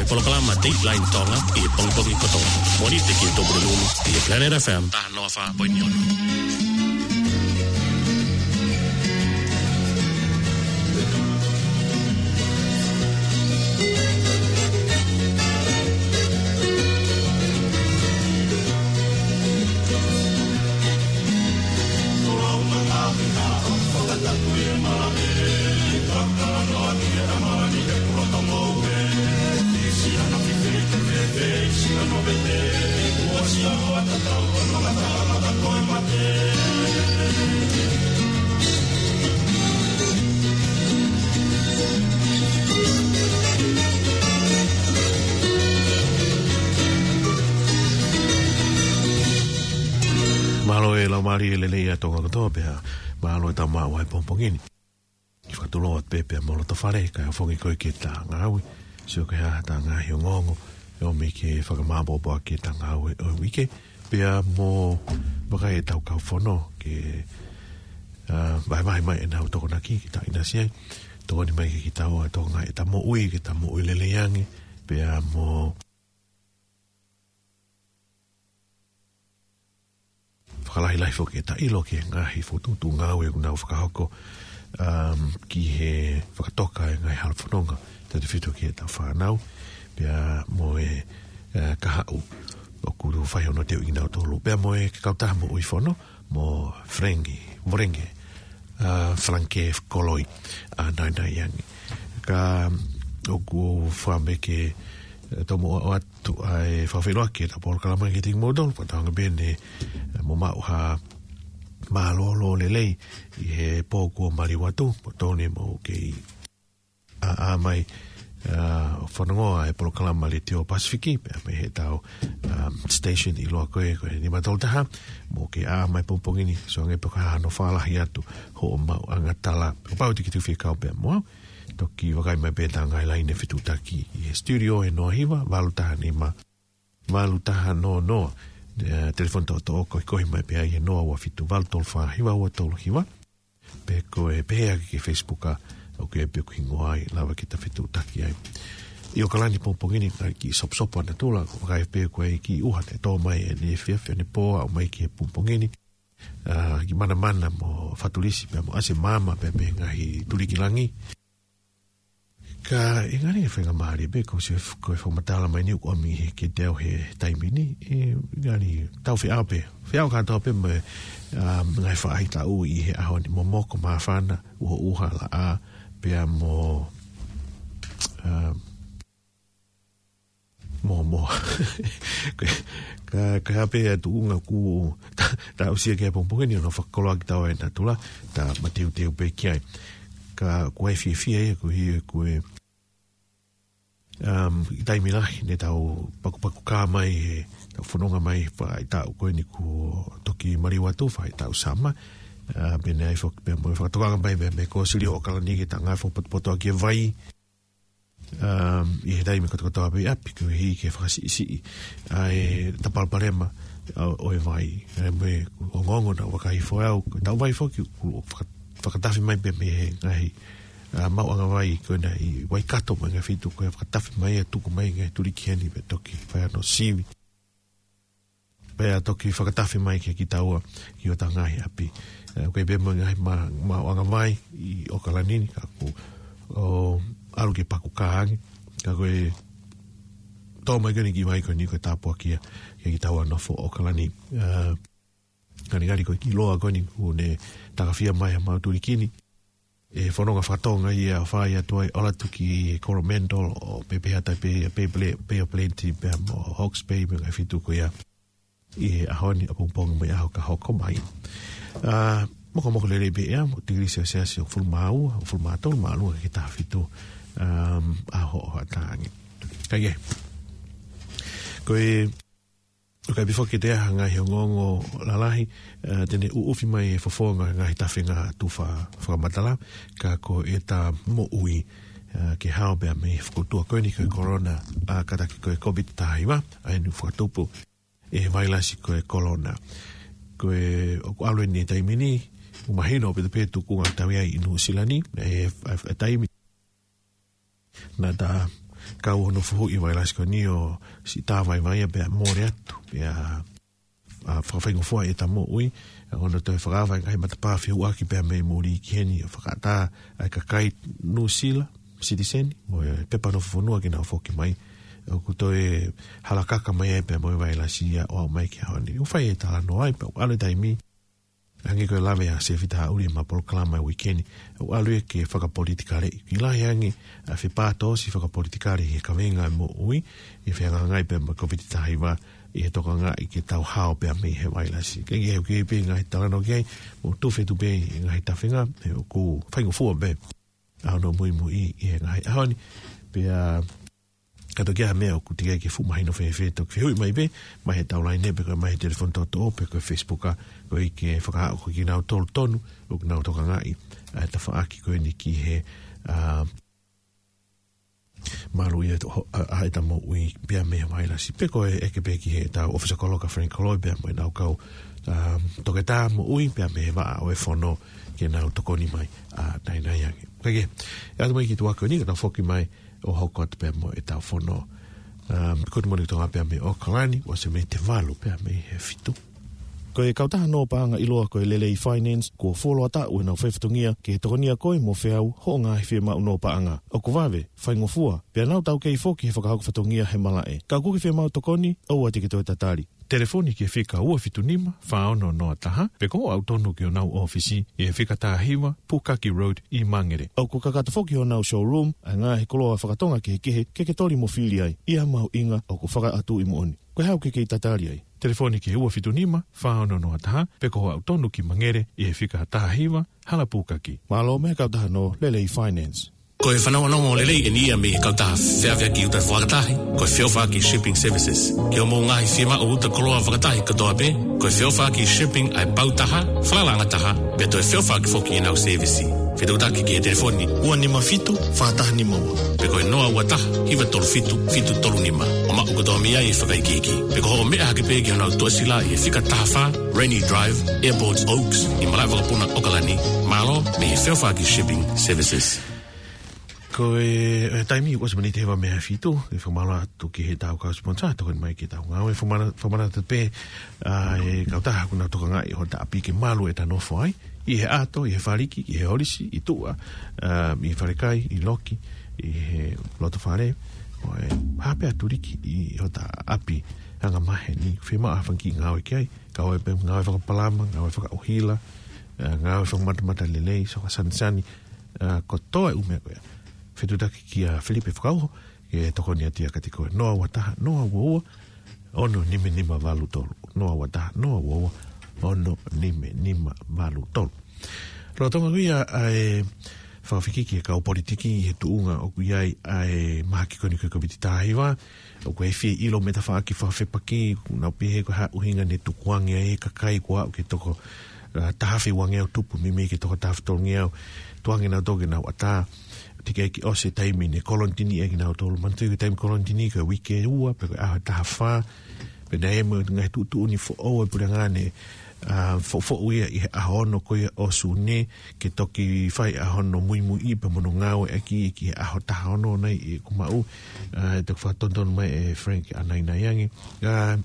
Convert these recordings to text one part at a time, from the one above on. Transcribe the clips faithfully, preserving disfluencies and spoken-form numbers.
Polokalama Dateline Tonga ʻi he pongipongi kotoa. Mōnite ki he Tupuna Lulu ʻi he Planet F M taha noa fā poini ono. Mālō e laumālie lelei ʻa Tonga kotoa pea mālō e tau maʻu ʻa e pongipongi ni. Kiʻi fakatulou atu pē pea mo loto fale, kae ʻofongi koe ki heʻeta ngāue. Sio ki heʻeta ngaahi ongoongo, ʻe ʻomi ke fakamāʻopoʻopo ʻaki ʻeta ngāue ʻo e uike. Pea mo vakai ʻetau kau fono ke, ā, vahevahe mai ʻenau tokonaki ke ta ʻinasi ai. Tokoni mai ke kita ʻo e Tonga ʻeta moʻui, ke ta moʻui lelei ange. Pea mo fakalahilahi foki ʻeta ʻilo ki he ngaahi fokotuʻutuʻu ngāue ʻoku nau fakahoko, um, ki he fakatoka e ngaahi halafononga, tautefito ki heʻeta fānau, pea mo e, eh, kahaʻu ʻoku fai hono teuʻi kinautolu, pea mo e kautaha moʻui fono, mo Frankie, Vorenke, uh, Frankie Koloi, ʻa Nainai ange. Ka ʻoku ou fakaʻamu ke, eh, tomuʻa ʻoatu ʻa e fakafeʻiloaki ʻeta polokalama ki he tiki moutolu, fakatauange pē ne, eh, mou maʻu ha mālōlō lelei ʻi he pō kuo maliu atu, mo tone mo kei ʻaʻa mai, ah, fanongoa e polokalama Letiō Pasifiki, pea mei heʻetau, um, station ʻiloa ko ē, ko e nima tolu taha, mo kei ʻaʻa mai pongipongi ni, sio ange pe ko e hā hano fakalahi atu hoʻo maʻuʻanga tala. Kapau te ke tuku fie kau pea mo au, toki vakai mai pē ʻeta ngaahi laine fetuʻutaki ʻi he studio ʻe noa hiva, valu taha nima, valu taha noa noa. Eh, telefoni toʻotoʻo, koekoe mai pē ai ʻe noa ua fitu, valu tolu fā, hiva ua tolu hiva. Pe ko e pehē ʻaki ki he Facebook ʻa, ʻoku ʻi ai pē ʻeku hingoa ai, lava ke ta fetuʻutaki ai. ʻI ʻOkalani pongipongi ni, ka kiʻi soposopo ʻa natula, ʻoku vakai pē ko e kiʻi ʻuha ne tō mai ʻi he efiafi ʻo e pō, aʻu mai ki he pongipongi ni. Ah, kiʻi manamana mo fatulisi pea mo ʻasi e maama pea mei he ngaahi tuliki langi. Ka ʻe ngali faingamālie pē ko e sio f-, ko e fakamatala mai ni ʻoku ʻomi he ke teu he taimi ni, ʻe ngali tau feʻao pē. Feʻao kātoa pē mo e, um, ngaahi faʻahitaʻu ʻi he ʻaho ni, momoko, māfana, ʻuhoʻuha, laʻā, pea mo, um, mo, mo. Ka, ka, ka pē ʻa e tuʻunga ʻoku ta, ta aʻusia ki ai pongipongi ni, ʻo fakakoloa ki tau ai natula, ta mateuteu pē ki ai. Ka ʻoku ʻi ai e fiefia ia, ko e, ko e, um, ʻi he taimi lahi, ne tau pakupaku kā mai, he tau fononga mai, faʻahitaʻu ko eni kuo toki maliu atu, faʻahitaʻu summer, ah, pea ne ʻi ai fak-, pea mo e fakatokanga mai, mei, mei he Kōsilio ʻo ʻOkalani ke ta ngāue fakapotopoto ʻaki e vai, um, ʻi he taimi kotokotoa pē ʻi ʻapi, koeʻuhi ke fakasiʻisiʻi ʻa e palopalema ʻo, ʻo e vai. ʻA ia mo e ongoongo naʻa ku vakai hifo au, ko ʻetau vai foki, kuo faka-, fakatafe mai pē mei he ngaahi, ah, maʻuʻanga vai ko ena ʻi Waikato mo e ngaahi feituʻu ko ē, fakatafe mai ʻo tuku mai ki he ngaahi tuliki heni pea toki fai hano sivi. Pea toki fakatafe mai kia kitaua, ki hota ngaahi ʻapi. Eh, ʻoku ʻi ai pē mo e ngaahi ma-, maʻuʻanga vai ʻi ʻOkalani ni, ka ʻoku, ʻo, ʻalu ke paku kā ange. Ka ko e tō mai ko eni e kiʻi vai ko eni ko e tāpuaki ia kia kitaua nofo ʻOkalani. Eh, ngalingali ko e kiʻi loa ko eni kuo ne takafia mai ʻe he maʻu tuliki ni. ʻE fononga fakatonga ia ʻo fai atu ai, ʻalu atu ki Coromandel ʻo pehē pē ʻa e tai pē, pē pele-, pē ʻo Plenty, pea mo Hawke's Bay, mo e ngaahi feituʻu ko ia. ʻI he ʻaho ni, ʻapongipongi mo e ʻaho ka hoko mai. Ah, mokomoko lelei pē ʻea, mo e tikilī selesiasi ʻe hongofulu mā ua, hongofulu mā tolu, māʻolunga ki he taha fitu, um, ʻa hoʻo hoʻatā ange. Ka ʻi ai. Ko e ʻOku ʻi ai pē foki ʻete ʻai ha ngaahi ongoongo lalahi, eh, te ne ʻuʻufi mai e fofonga ngaahi tafenga tufa fakamatala, ka ko ʻeta moʻui, eh, ke hao pē mei he fokoutua ko eni ko e corona, ʻa kātaki ko e COVID taha hiva, ʻa eni ʻoku fakatupu ʻe he vailasi ko e corona. Ko e ʻoku ʻalu eni he taimi ni, ʻoku mahino ʻaupito pē e tuʻunga ʻoku tau ʻi ai ʻi Nuʻusila ni, ʻe, ʻe, ʻe taimi naʻa ta kau hono fuhu ʻi he vailasi ko eni ʻo siʻi tā vaivai ia pea mole atu. Pea, ʻa, fakafaingofua ʻeta moʻui, ʻa, ʻo ne toe fakaava e ngaahi matapā fehuʻaki pea mei muli ki heni ʻo fakaʻatā ʻa e kakai Nuʻusila, citizen, mo e pepa nofo fonua ke nau foki mai. ʻOku toe halakaka mai ai pea mo e vailasi ia ʻo aʻu mai ki he ʻaho ni. ʻOku fai e talanoa ai, pea ʻoku ʻalu e taimi, hangē ko e lave ʻa Sefita Haʻuli ʻi heʻema polokalama ʻo e uike ni, ʻoku ʻalu ia ke fakapolitikaleʻi. ʻOku lahi ange ʻa e fepātoosi fakapolitikale ʻi he kaveinga ʻo e moʻui, ʻi he fehangahangai pea mo e Kōviti taha hiva, ʻi he tokangaʻi ke tau hao pea mei he vailasi. Ka ʻi he ʻoku ʻi ai pē ngaahi talanoa ki ai, mo tufe tupe ʻi he ngaahi tafenga, he ʻoku faingofua pē ʻa hono muimui ʻi he ngaahi ʻaho ni. Pea ka toki ʻi ai ha meʻa ʻoku teʻeki ai ke fuʻu mahino fēfē, toki fehuʻi mai pē, mai he tau laine pe ko e mai he telefoni toʻotoʻo pe ko e Facebook, ʻa, koeʻuhi ke fakahā ko kinautolu tonu ʻoku nau tokangaʻi ʻa e tafaʻaki ko eni ki he, ʻa, malu ia ʻo, ʻa, ʻa ʻeta moʻui pea mei he vailasi. Pe ko e ʻeke pē ki heʻetau ʻōfisa kolo ko Frank Koloi pea mo ʻenau kau, ʻa, toketā moʻui pea mei he vaʻa ʻo e fono ke nau tokoni mai, ʻa, naʻinaʻi ange. Ka ke, ʻe ʻalu mai ki tuʻa ko eni ka tau foki mai ʻo hoko atu pea mo ʻetau fono. Um, good morning Tonga pea mei ʻAokalani, ʻosi mei he valu pea mei he fitu. Ko e kautaha nō paʻanga ʻiloa ko e Lelei Finance, kuo fuoloa taʻu ʻenau faifatongia ke tokonia koe mo feau hoʻo ngaahi fiemaʻu nō paʻanga. ʻOku vave, faingofua, pea nau taukei foki he fakahoko fatongia he malaʻe. Ka ʻoku ke fiemaʻu tokoni, ʻoua te ke toe tatali. Telefoni ki he fika ua fitu nima, fā ono noa taha, pe ko hoʻo aʻu tonu ki honau ʻōfisi, ʻi he fika taha hiva, Pukaki Road, ʻi Mangere. ʻOku kakato foki honau showroom, ʻa e ngaahi koloa fakatonga kehekehe, ke ke toli mo fili ai, ʻi ha mahuʻinga ʻoku fakaʻatuʻi moʻoni. Ko e hā ʻoku ke kei tatali ai? Telefoni ki he ua fitu nima, fā ono noa taha, pe ko hoʻo aʻu tonu ki Mangere, ʻi he fika taha hiva, Hala Pukaki. Mālō mei he kautaha nō Lelei Finance. Ko e fanongonongo lelei eni ia mei he kautaha feʻauaki uta fakatahi, ko e Feʻauaki Shipping Services. Ki hoʻomou ngaahi fiemaʻu uta koloa fakatahi kotoa pē, ko e Feʻauaki Shipping ʻa e pau taha, falala anga taha, pea toe feʻauaki foki ʻenau sēvisi. Fetuʻutaki ki he telefoni ua nima fitu, fā taha nima ua. Pe ko e noa ua taha, hiva tolu fitu, fitu tolu nima. ʻO maʻu kotoa mei ai e fakaikiiki. Pe ko hoʻo meʻa hake pē ki honau tuʻasila ʻi he fika taha fā, Rainy Drive, Airport Oaks, ʻi malaʻe vakapuna ʻAokalani, mālō mei he Feʻauaki Shipping Services. Ko e, e taimi ʻoku ʻosi miniti hiva mei he fitu, ʻe fakamālō atu ki heʻetau kau sponsor, tokoni mai ki heʻetau ngāue, fakamālō, fakamālō atu pē, ʻa, e kautaha ʻoku nau tokangaʻi hota ʻapi ke malu ʻeta nofo ai, ʻi he ʻato, ʻi he faliki, ʻi he holisi, ʻi tuʻa, ʻa, ʻi he falekai, ʻi loki, ʻi he loto fale, ʻo e hape atu liki ʻi hota ʻapi anga maheni, fiemaʻu ha fanga kiʻi ngāue ki ai, kau ai pē ngāue fakapalama, ngāue fakaʻuhila, ʻa, ngāue fakamatamata lelei, sio fakasanisani, ʻa, kotoa e ʻū meʻa ko ia. Fetuʻutaki kia Filipe Fakauho, ke tokoni atu ia kiate koe. Noa ua taha, noa ua ua, ono nima nima valu tolu. Noa ua taha, noa ua ua, ono nima nima valu tolu. Lolotonga ko ia ʻa e fakafekiki e kau politiki ʻi he tuʻunga ʻoku ʻi ai ʻa e mahaki ko eni ko e Kōviti taha hiva, ʻoku ʻi ai e fie ʻilo mei he tafaʻaki fakafepaki, ʻoku nau pehē ko e hā e ʻuhinga ne tukuange ai e kakai kuo aʻu ki he toko, ʻa, taha afe uangeau tupu, meimei ki he toko taha afe tolungeau, tukuange nautolu ke nau ʻatā, teʻeki ai ke ʻosi e taimi ne kolonitini ai kinautolu. Manatuʻi ko e taimi kolonitini ko e uike ua, pe ko e ʻaho ʻe taha fā, pea naʻe ʻi ai mo e ngaahi tuʻutuʻuni foʻou ʻa e puleʻanga ne, ʻa, foʻofoʻou ia ʻi he ʻaho ono ko ia ʻo Sune, ke toki fai ʻa hono muimuiʻi pea mo hono ngāueʻaki ki he ʻaho taha ono nai ʻoku maʻu, ʻa, ʻe toki fakatonutonu mai ʻe Frank ʻa naʻinaʻi ange. ʻA,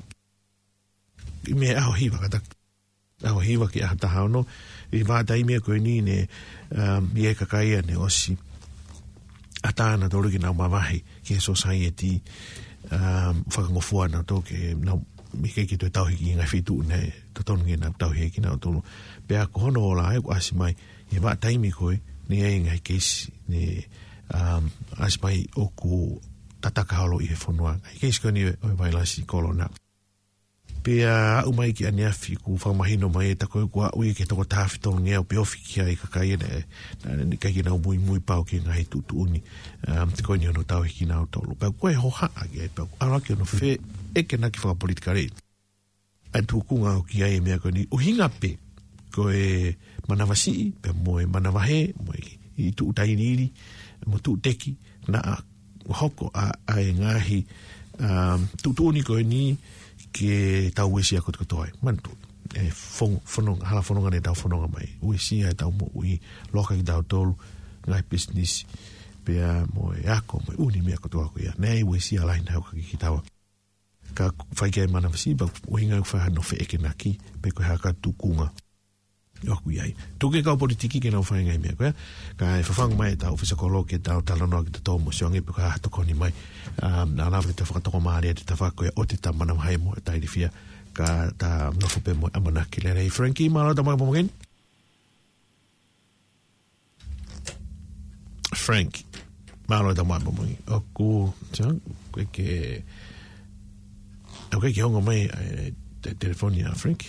ʻi mei he ʻaho hiva kātaki. ʻAho hiva ki he ʻaho taha ono, ʻi he vahaʻa taimi ko eni ne, um, ʻi ai e kakai ia ne ʻosi ʻatā nautolu ke nau mavahe ki he sōsaieti, um, fakangofua nautolu ke nau ʻikai ke toe tauhi ki he ngaahi feituʻu ne totonu ke nau tauhi ai kinautolu. Pea ko hono ola ʻoku ʻasi mai, ʻi he vahaʻa taimi ko ē, ne ʻi ai e ngaahi keisi ne, um, ʻasi mai ʻoku tataka holo ʻi he fonua. Ngaahi keisi ko eni ʻo e vailasi kolona. Pea aʻu mai ki ʻaneafi kuo fakamahino mai ʻe taku ʻoku aʻu ia ki he toko taha afe tolungeau pe ofi ki ai e kakai ʻe, naʻe, naʻe ʻikai ke nau muimui pau ki he ngaahi tuʻutuʻuni, um, ko eni hono tauhi kinautolu. Pea ko e hohaʻa ki ai, pea ʻalu hake hono feʻekenaki fakapolitikale ʻa e tuʻunga ʻoku ʻi ai e meʻa ko eni, ʻuhinga pē ko e manavasiʻi, pea mo e manavahē, mo e ʻi tuʻu tailiili, mo tuʻu teki, naʻa hoko ʻa, ʻa e ngaahi, um, tuʻutuʻuni ko eni ke tau uesia kotokotoa ai. Manatuʻi, e fon-, fononga, hala fononga ne tau fononga mai. Uesia ʻetau moʻui, loka kitautolu, ngaahi pisinisi, pea mo e ako, mo e ʻū meʻa kotoa ko ia. Naʻe ʻi ai e uesia lahi naʻe ʻoka ki Kitaua. Ka fai ki ai e manavasiva, ʻuhinga ʻoku fai hano feʻekenaki, pe ko e hā ka tukunga ʻoku ʻi ai. Tuku e kau politiki ke nau fai e ngaahi meʻa ko ia, kae fafangu mai ʻetau ʻōfisa kolo ke tau talanoa kitautolu mo Siongi pe ko e hā ha tokoni mai. Um, naʻa lava ke ta fakatokomālie ʻetau tafa ko ia ʻo te ta manavahē mo e tailifia, ka ta nofo pē mo e ʻamanaki lelei. Frankie, mālō e tau maʻu e pongipongi ni. Frank. Mālō e tau maʻu e pongipongi ni. ʻOku, sia, ko e ke, ʻoku ke ongo mai, e, te, telefoni ʻa Frank.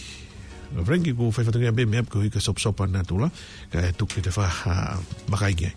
Frank, ʻoku fai fatongia pē meʻa ko e hika sopsopa natula, kae tuku ke te fa, ha, makai ki ai.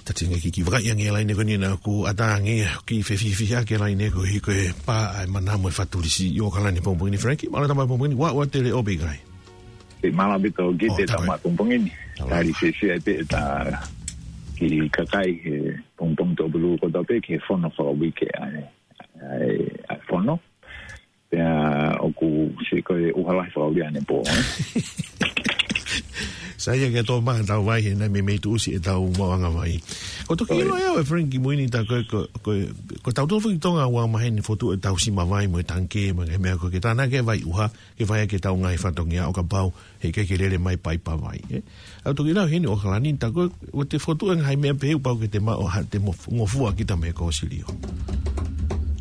Tati ngai ki, ki vakai ange laine ko eni naʻa ku ʻatā ange ki fefihifihake laine ko hiko e pā ʻa e mana mo e fatulisi ʻi ʻOkalani pongipongi ni, Frankie. Mālō e tau maʻu e pongipongi ni, ua ua tele ʻope kai. Ke mālō ʻaupito ki te tau maʻu e pongipongi ni. Tali fiefia ʻaupito ʻeta kiʻi kakai he pongipongi Tuʻapulelulu kotoa pē ki he fono fakauike ʻa e, ʻa e, ʻa e fono. Pea ʻoku sio ko e ʻuha lahi fakauike ʻanepō, ē? Sai ia ke tō mai ʻetau vai he naʻe meimei tuʻusi ʻetau maʻuʻanga vai. Ko e toki ʻilo ʻe au ʻe Frank ki mui ni ta ko, ko, ko, ko tautolu foki Tonga ʻoku maheni fotu ʻetau sima vai mo e tangikē mo e meʻa ko ē ke tānaki e vai ʻuha, ke fai ʻaki ʻetau ngaahi fatongia ʻo kapau he ʻikai ke lele mai paipa vai, ē? ʻOku toki lau heni ʻOkalani ta ko, ʻoku te fotu e ngaahi meʻa pehē ʻoku pau ke te maʻu ha te mo, ngofua kita mei he kōsilio.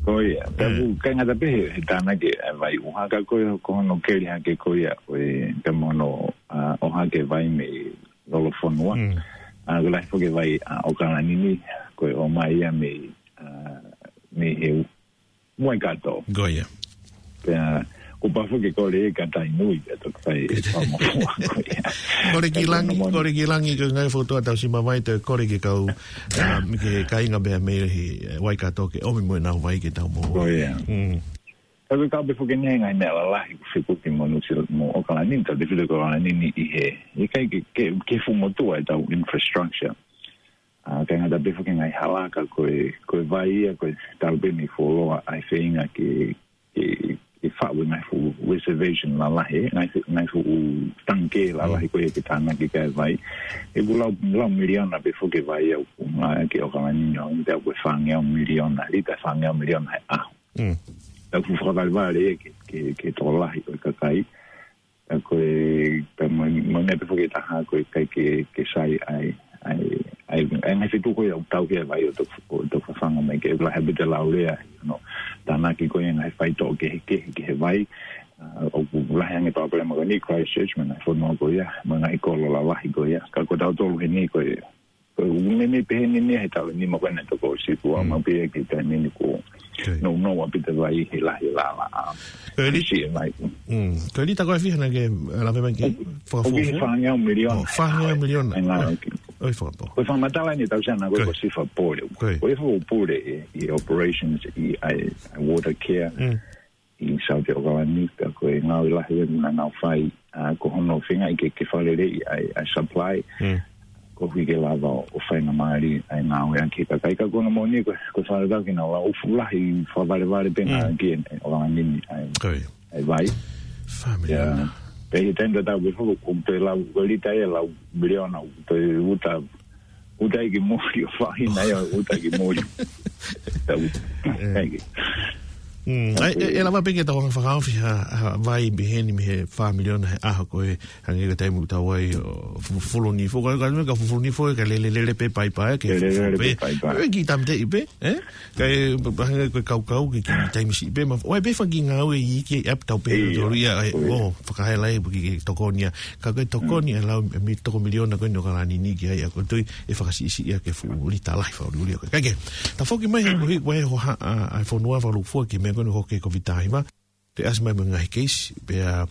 Ko ia, ta ku, ʻikai ngata pē he, he tānaki e vai ʻuha ka ko e, ko hono keli hake ko ia, ʻo e, te mono, a, ʻohake vai mei lolofonua. A, ko e lahi foki e vai, a, ʻOkalani ni, ko e ʻomai ia mei, a, mei he Waikato. Ko ia. Pea, ko pafo ke kole e ka tai nui, pea toki fai e pau mo fua ko ia. Kole ki langi, kole ki langi ko e ngaahi fotu ʻetau sima vai te kole ki kau, a, mi ke kāinga pea mei he, e, Waikato ke ʻomi mo ʻenau vai ke tau mo. Ko ia. Mm. Ka ko e kau pē foki ni he ngaahi meʻa lalahi, ko fekuki mo Nuʻusila mo ʻOkalani, ta te file ko ʻOkalani ni ʻi he, ʻikai ke, ke, ke fuʻu motuʻa ʻetau infrastructure. A, ʻikai ngata pē foki ngaahi hala ka ko e, ko e vai ia, ko e talu pē mei fuoloa ʻa e feinga ke, ke, ke faʻu e ngaahi fuʻu reservation lalahi, ngaahi fuʻu, ngaahi fuʻu tangikē lalahi ko ia ke tānaki ki ai e vai. ʻOku lau, lau miliona pē foki e vai ia ʻoku ngāueʻaki ʻi ʻOkalani ni, ʻo te au ko e fāngeau miliona, lita fāngeau miliona he ʻaho. Mm. Tau fuʻu fakavalevale ia ke, ke, ke tokolahi ʻo e kakai. Ka ko e, ka mo, mo ne pe foki taha ko e ʻikai ke, ke sai ai, ai, ai, ai ngaahi feituʻu ko ia ʻoku tau ki he vai ʻo toki, ʻo toki fafanga mai ke lahi ʻaupito e laulea, no, tānaki ko ia ngaahi faitoʻo kehekehe ki he vai, a, ʻoku lahi ange pāpale ma ko eni Christchurch, mo e ngaahi fonua ko ia, mo e ngaahi kolo lalahi ko ia. Ka ko tautolu heni ko e, ko e ʻū meimei pehē ni ni he taʻu nima ko ena toko siku a mau pē ki he taimi ni ko. Okay. No, no, ʻaupito e vai he lahi lala. Ko e li- Siʻi e vai. Mm. Ko e lita ko e fiha naʻa ke lave mai ki ai? ʻOku, ʻoku fakafuofua? Fāngeau miliona. Oh, fāngeau miliona. Oi, fakapō. Ko e fakamatala ni tau sana ko e ko sifa pole. Ko e fo pole e, e operations ʻi ai, ai water care. Mm. ʻI South ʻOkalani, ka ko e ngāue lahi ʻe naʻa nau fai, a, ko hono feinga ke, ke fakaleleiʻi ʻa e, ʻa e supply. Mm. Koeʻuhi ke lava ʻo, ʻo faingamālie ʻa e ngāue ʻaki e kakai ka ko hono moʻoni ko, ko e fakatatau ke nau lau fuʻu lahi fakavalevale pē ngā ki e, ʻOkalani ni ʻa e, ʻa e vai. Fāmili. Ia. Pea ʻi he taimi tatau pē foki, ʻoku te lau, ko e lita ia lau miliona, ʻoku te uta, uta ʻi ki muli ʻo faʻahina ia, uta ʻi ki muli. Tau, thank you. Mm, ai, e, e lava pē ke tau anga fakaofi ha, ha vai mei heni mei he fā miliona he ʻaho ko ē, hangē ko e taimi ʻoku tau ai ʻo fu-, fufulu nifo, ka, ka, ka fufulu nifo, ka lele, lele pē paipai, ke Lele, fufulu lele pē. pē paipai. E ki tamte i pē, eh? Ka e, pa-, pa-, hangē ko e kaukau, ke ki taimi siʻi pē, ma, ʻoku ʻi ai pē fanga kiʻi ngāue iiki ʻe ʻapi tau pē, Ē, tolu ia, e, ʻo ia. ʻo, fakahela e, ke, ke tokoni ia. Ka ko e tokoni e lau, e mi-, toko miliona ko eni ʻo ka lani ni ki ai, ʻa ko e tui, ʻe fakasiʻisiʻi ia ke fuʻu lita lahi fakaʻuliʻuli ko ē. Kae kehe, tau foki mai he kohi, ko e ho ha, ʻa, ʻa e fonua fakalūkufua ki he meʻa ko eni ʻoku hoko he Kōviti taha hiva. Pea ʻasi mai mo e ngaahi keisi, pea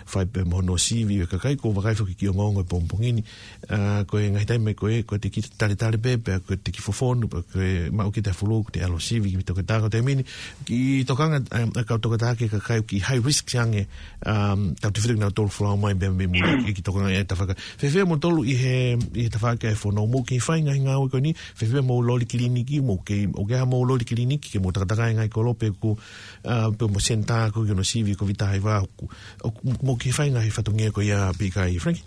fai pē mo hono sivi e kakai, ʻoku ou vakai foki ki he ongoongo he pongipongi ni. ʻA, ko e ngaahi taimi ko ē, ko e te ki taletale pē, pea ko e te ki fofonu, pea ko e maʻu ki he fulou, ko e te ʻalu ʻo sivi ki he toketā ko e taimi ni. Kiʻi tokanga, um, ʻa e kau toketā ki he kakai ʻoku high risk ange, um, tautefito kinautolu folau mai pē mei muli, kiʻi tokanga ʻa e tafaʻaki. Fēfē moutolu ʻi he, ʻi he tafaʻaki ʻa e fono, mou kei fai ngaahi ngāue ko eni, fēfē mou loli kiliniki, mou kei, ʻoku ʻi ai haʻamou loli kiliniki, ke mou takatakai ngaahi kolo pē ʻoku, uh, pē mo senitā ko ē ki hono sivi Kōviti taha hiva, ʻoku, ʻoku, mou kei fai ngaahi fatongia ko ia pē ʻikai, Frank?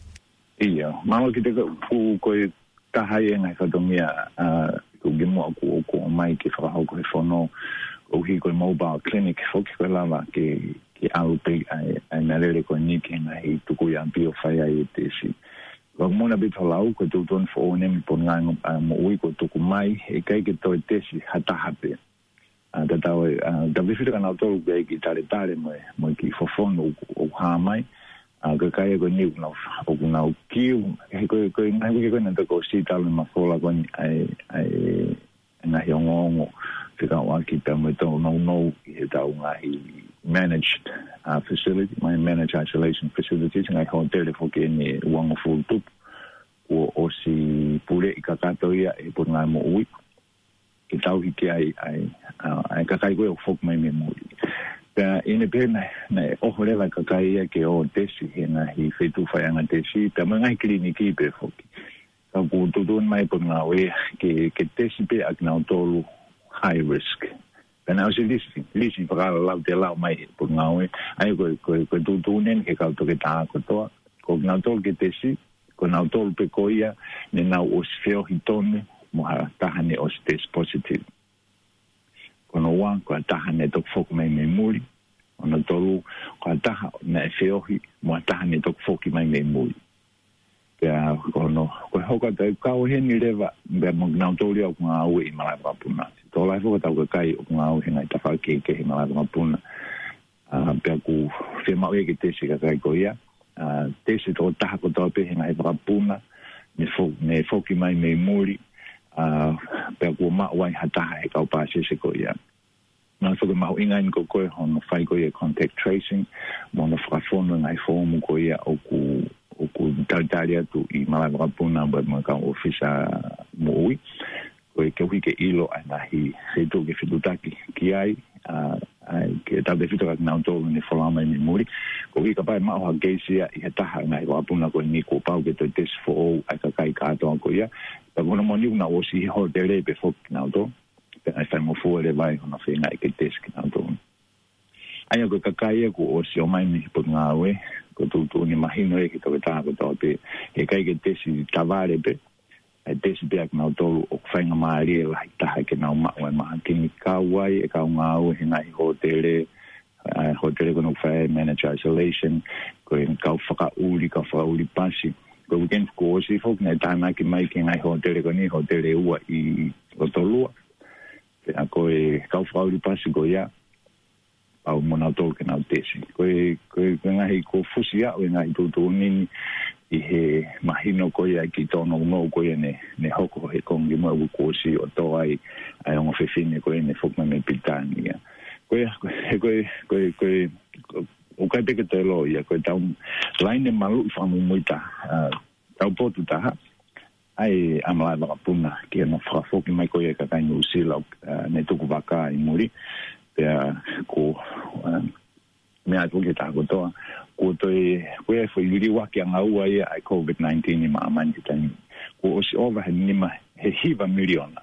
ʻIo, mālō ki he ko, ko, ko e taha ia e ngaahi fatongia, ʻa, ʻoku kimuʻa ʻoku, ʻoku ʻomai ke fakahoko he fono, ʻoku ʻi ai ko e mobile clinic foki ko e lava ke, ke ʻalu pē ʻa e, ʻa e meʻalele ko eni ki he ngaahi tukuʻi ʻapi ʻo fai ai e tesi. Ka ʻoku mou na pito lau, ko e tuʻutuʻuni foʻou eni mei Potungāue, ʻa, Moʻui kuo tuku mai, ʻe ʻikai ke toe tesi ha taha pē. ʻA, tatau e, ʻa, tautefito kinautolu ʻoku ʻi ai e kiʻi taletale mo e, mo e kiʻi fofonu ʻoku, ʻoku hā mai. ʻA, ko e kakai ko eni ʻoku nau, ʻoku nau kiu, he ko e, ko e ngaahi uike ko eni naʻe toki ʻosi talu e mafola ko eni ʻa e, ʻa e, ngaahi ongoongo fekauʻaki pea mo e tōnounou ʻi heʻetau ngaahi managed, ʻa, facility, mo e managed isolation facilities, ngaahi hōtele foki eni ʻe uangofulu tupu, kuo ʻosi puleʻi kakato ia ʻe he Potungāue Moʻui. Ke tauhi ki ai, ʻa e, ʻa, ʻa e kakai ko ē ʻoku foki mai mei muli. Pea ʻi heʻene pehē naʻe, naʻe ʻoho leva e kakai ia ke ō ʻo tesi he ngaahi feituʻu faiʻanga tesi, pea mo e ngaahi kiliniki pē foki. Ka ʻoku tuʻutuʻuni mai e Potungāue ke, ke tesi pē ʻa kinautolu high risk. Pea naʻe ʻosi lisi, lisi fakalautelau mai e Potungāue, ʻa ia ko e, ko e, ko e tuʻutuʻuni eni ki he kau toketā kotoa, ko kinautolu ke tesi, ko kinautolu pē ko ia ne nau ʻosi feohi tonu mo ha taha ne ʻosi tesi positive. Ko hono ua, ko ha taha ne toki foki mai mei muli. Hono tolu, ko ha taha naʻe feohi mo ha taha ne toki foki mai mei muli. Pea ko hono, ko e hoko atu e kau heni leva, pea mo kinautolu ia ʻoku ngāue ʻi malaʻe vakapuna. Tokolahi foki ʻetau kakai ʻoku ngāue he ngaahi tafaʻaki kehekehe ʻi malaʻe vakapuna. ʻA, pea ʻoku fiemaʻu ia ke tesi e kakai ko ia. ʻA, tesi e tokotaha kotoa pē he ngaahi vakapuna, ne fo-, ne foki mai mei muli, ʻa, pea kuo maʻu ai ha taha he kau pāsese ko ia. Naʻe foki mahuʻinga eni ko ē hono fai ko ia e contact tracing, mo hono fakafonu e ngaahi foomu ko ia ʻoku, ʻoku talitali atu ʻi malaʻe vakapuna mo e kau ʻōfisa moʻui. Ko e koeʻuhi ke ʻilo ʻa e ngaahi feituʻu ke fetuʻutaki ki ai, ʻa, ʻa, ke tautefito kia kinautolu ne folau mai mei muli. Koeʻuhi kapau ʻe maʻu ha keisi ia ʻi ha taha e ngaahi vakapuna ko eni kuo pau ke toe tesi foʻou ʻa e kakai kātoa ko ia. Pea ko hono moʻoni ʻoku nau ʻosi ʻi he hōtele pē foki kinautolu. Pea ʻe faingofua leva ai hono feinga ke tesi kinautolu. ʻA ia ko e kakai ia kuo ʻosi ō mai mei he Potungāue, ko e tuʻutuʻuni mahino ia ki he toketā kotoa pē, he ʻikai ke tesi tavale pē, ʻe tesi pē ʻa kinautolu ʻoku faingamālie lahi taha ke nau maʻu e mahaki ni, kau ai e kau ngāue he ngaahi hōtele, ʻa e hōtele ko ena ʻoku fai ai e managed isolation, ko e kau fakaʻuli, kau fakaʻuli pasi. Ko e weekend kuo ʻosi foki naʻe tānaki mai ki he ngaahi hōtele ko eni, hōtele ua ʻi Lotolua. Pea ko e kau fakaʻuli pasi ko ia, pau mo kinautolu ke nau tesi. Ko e, ko e, ko e ngaahi kuo fusi aʻu e ngaahi tuʻutuʻuni ni ʻi he mahino ko ia e kiʻi tōnounou ko ia ne, ne hoko he konga kimuʻa ʻo e kuo ʻosi ʻo tō ai ʻa e ongo fefine ko ia ne foki mai mei Pilitānia. Ko ia, ko e, ko e, ko e, ko e, ʻoku ʻikai pē ke toe lō ia, ko ʻetau laine maluʻi fakamuimuitaha, ʻa, taupotu taha, ʻa e ʻa malaʻe vakapuna, ki hono fakafoki mai ko ia e kakai Nuʻusila, ʻa, ne tuku vaka ʻi muli, pea ko, ʻa, meʻa atu ki he taha kotoa, kuo toe, ko e foʻi liliu ʻaki ʻanga ua ia ʻa e COVID nineteen ʻi māmani he taimi. Kuo ʻosi ova he nima, he hiva miliona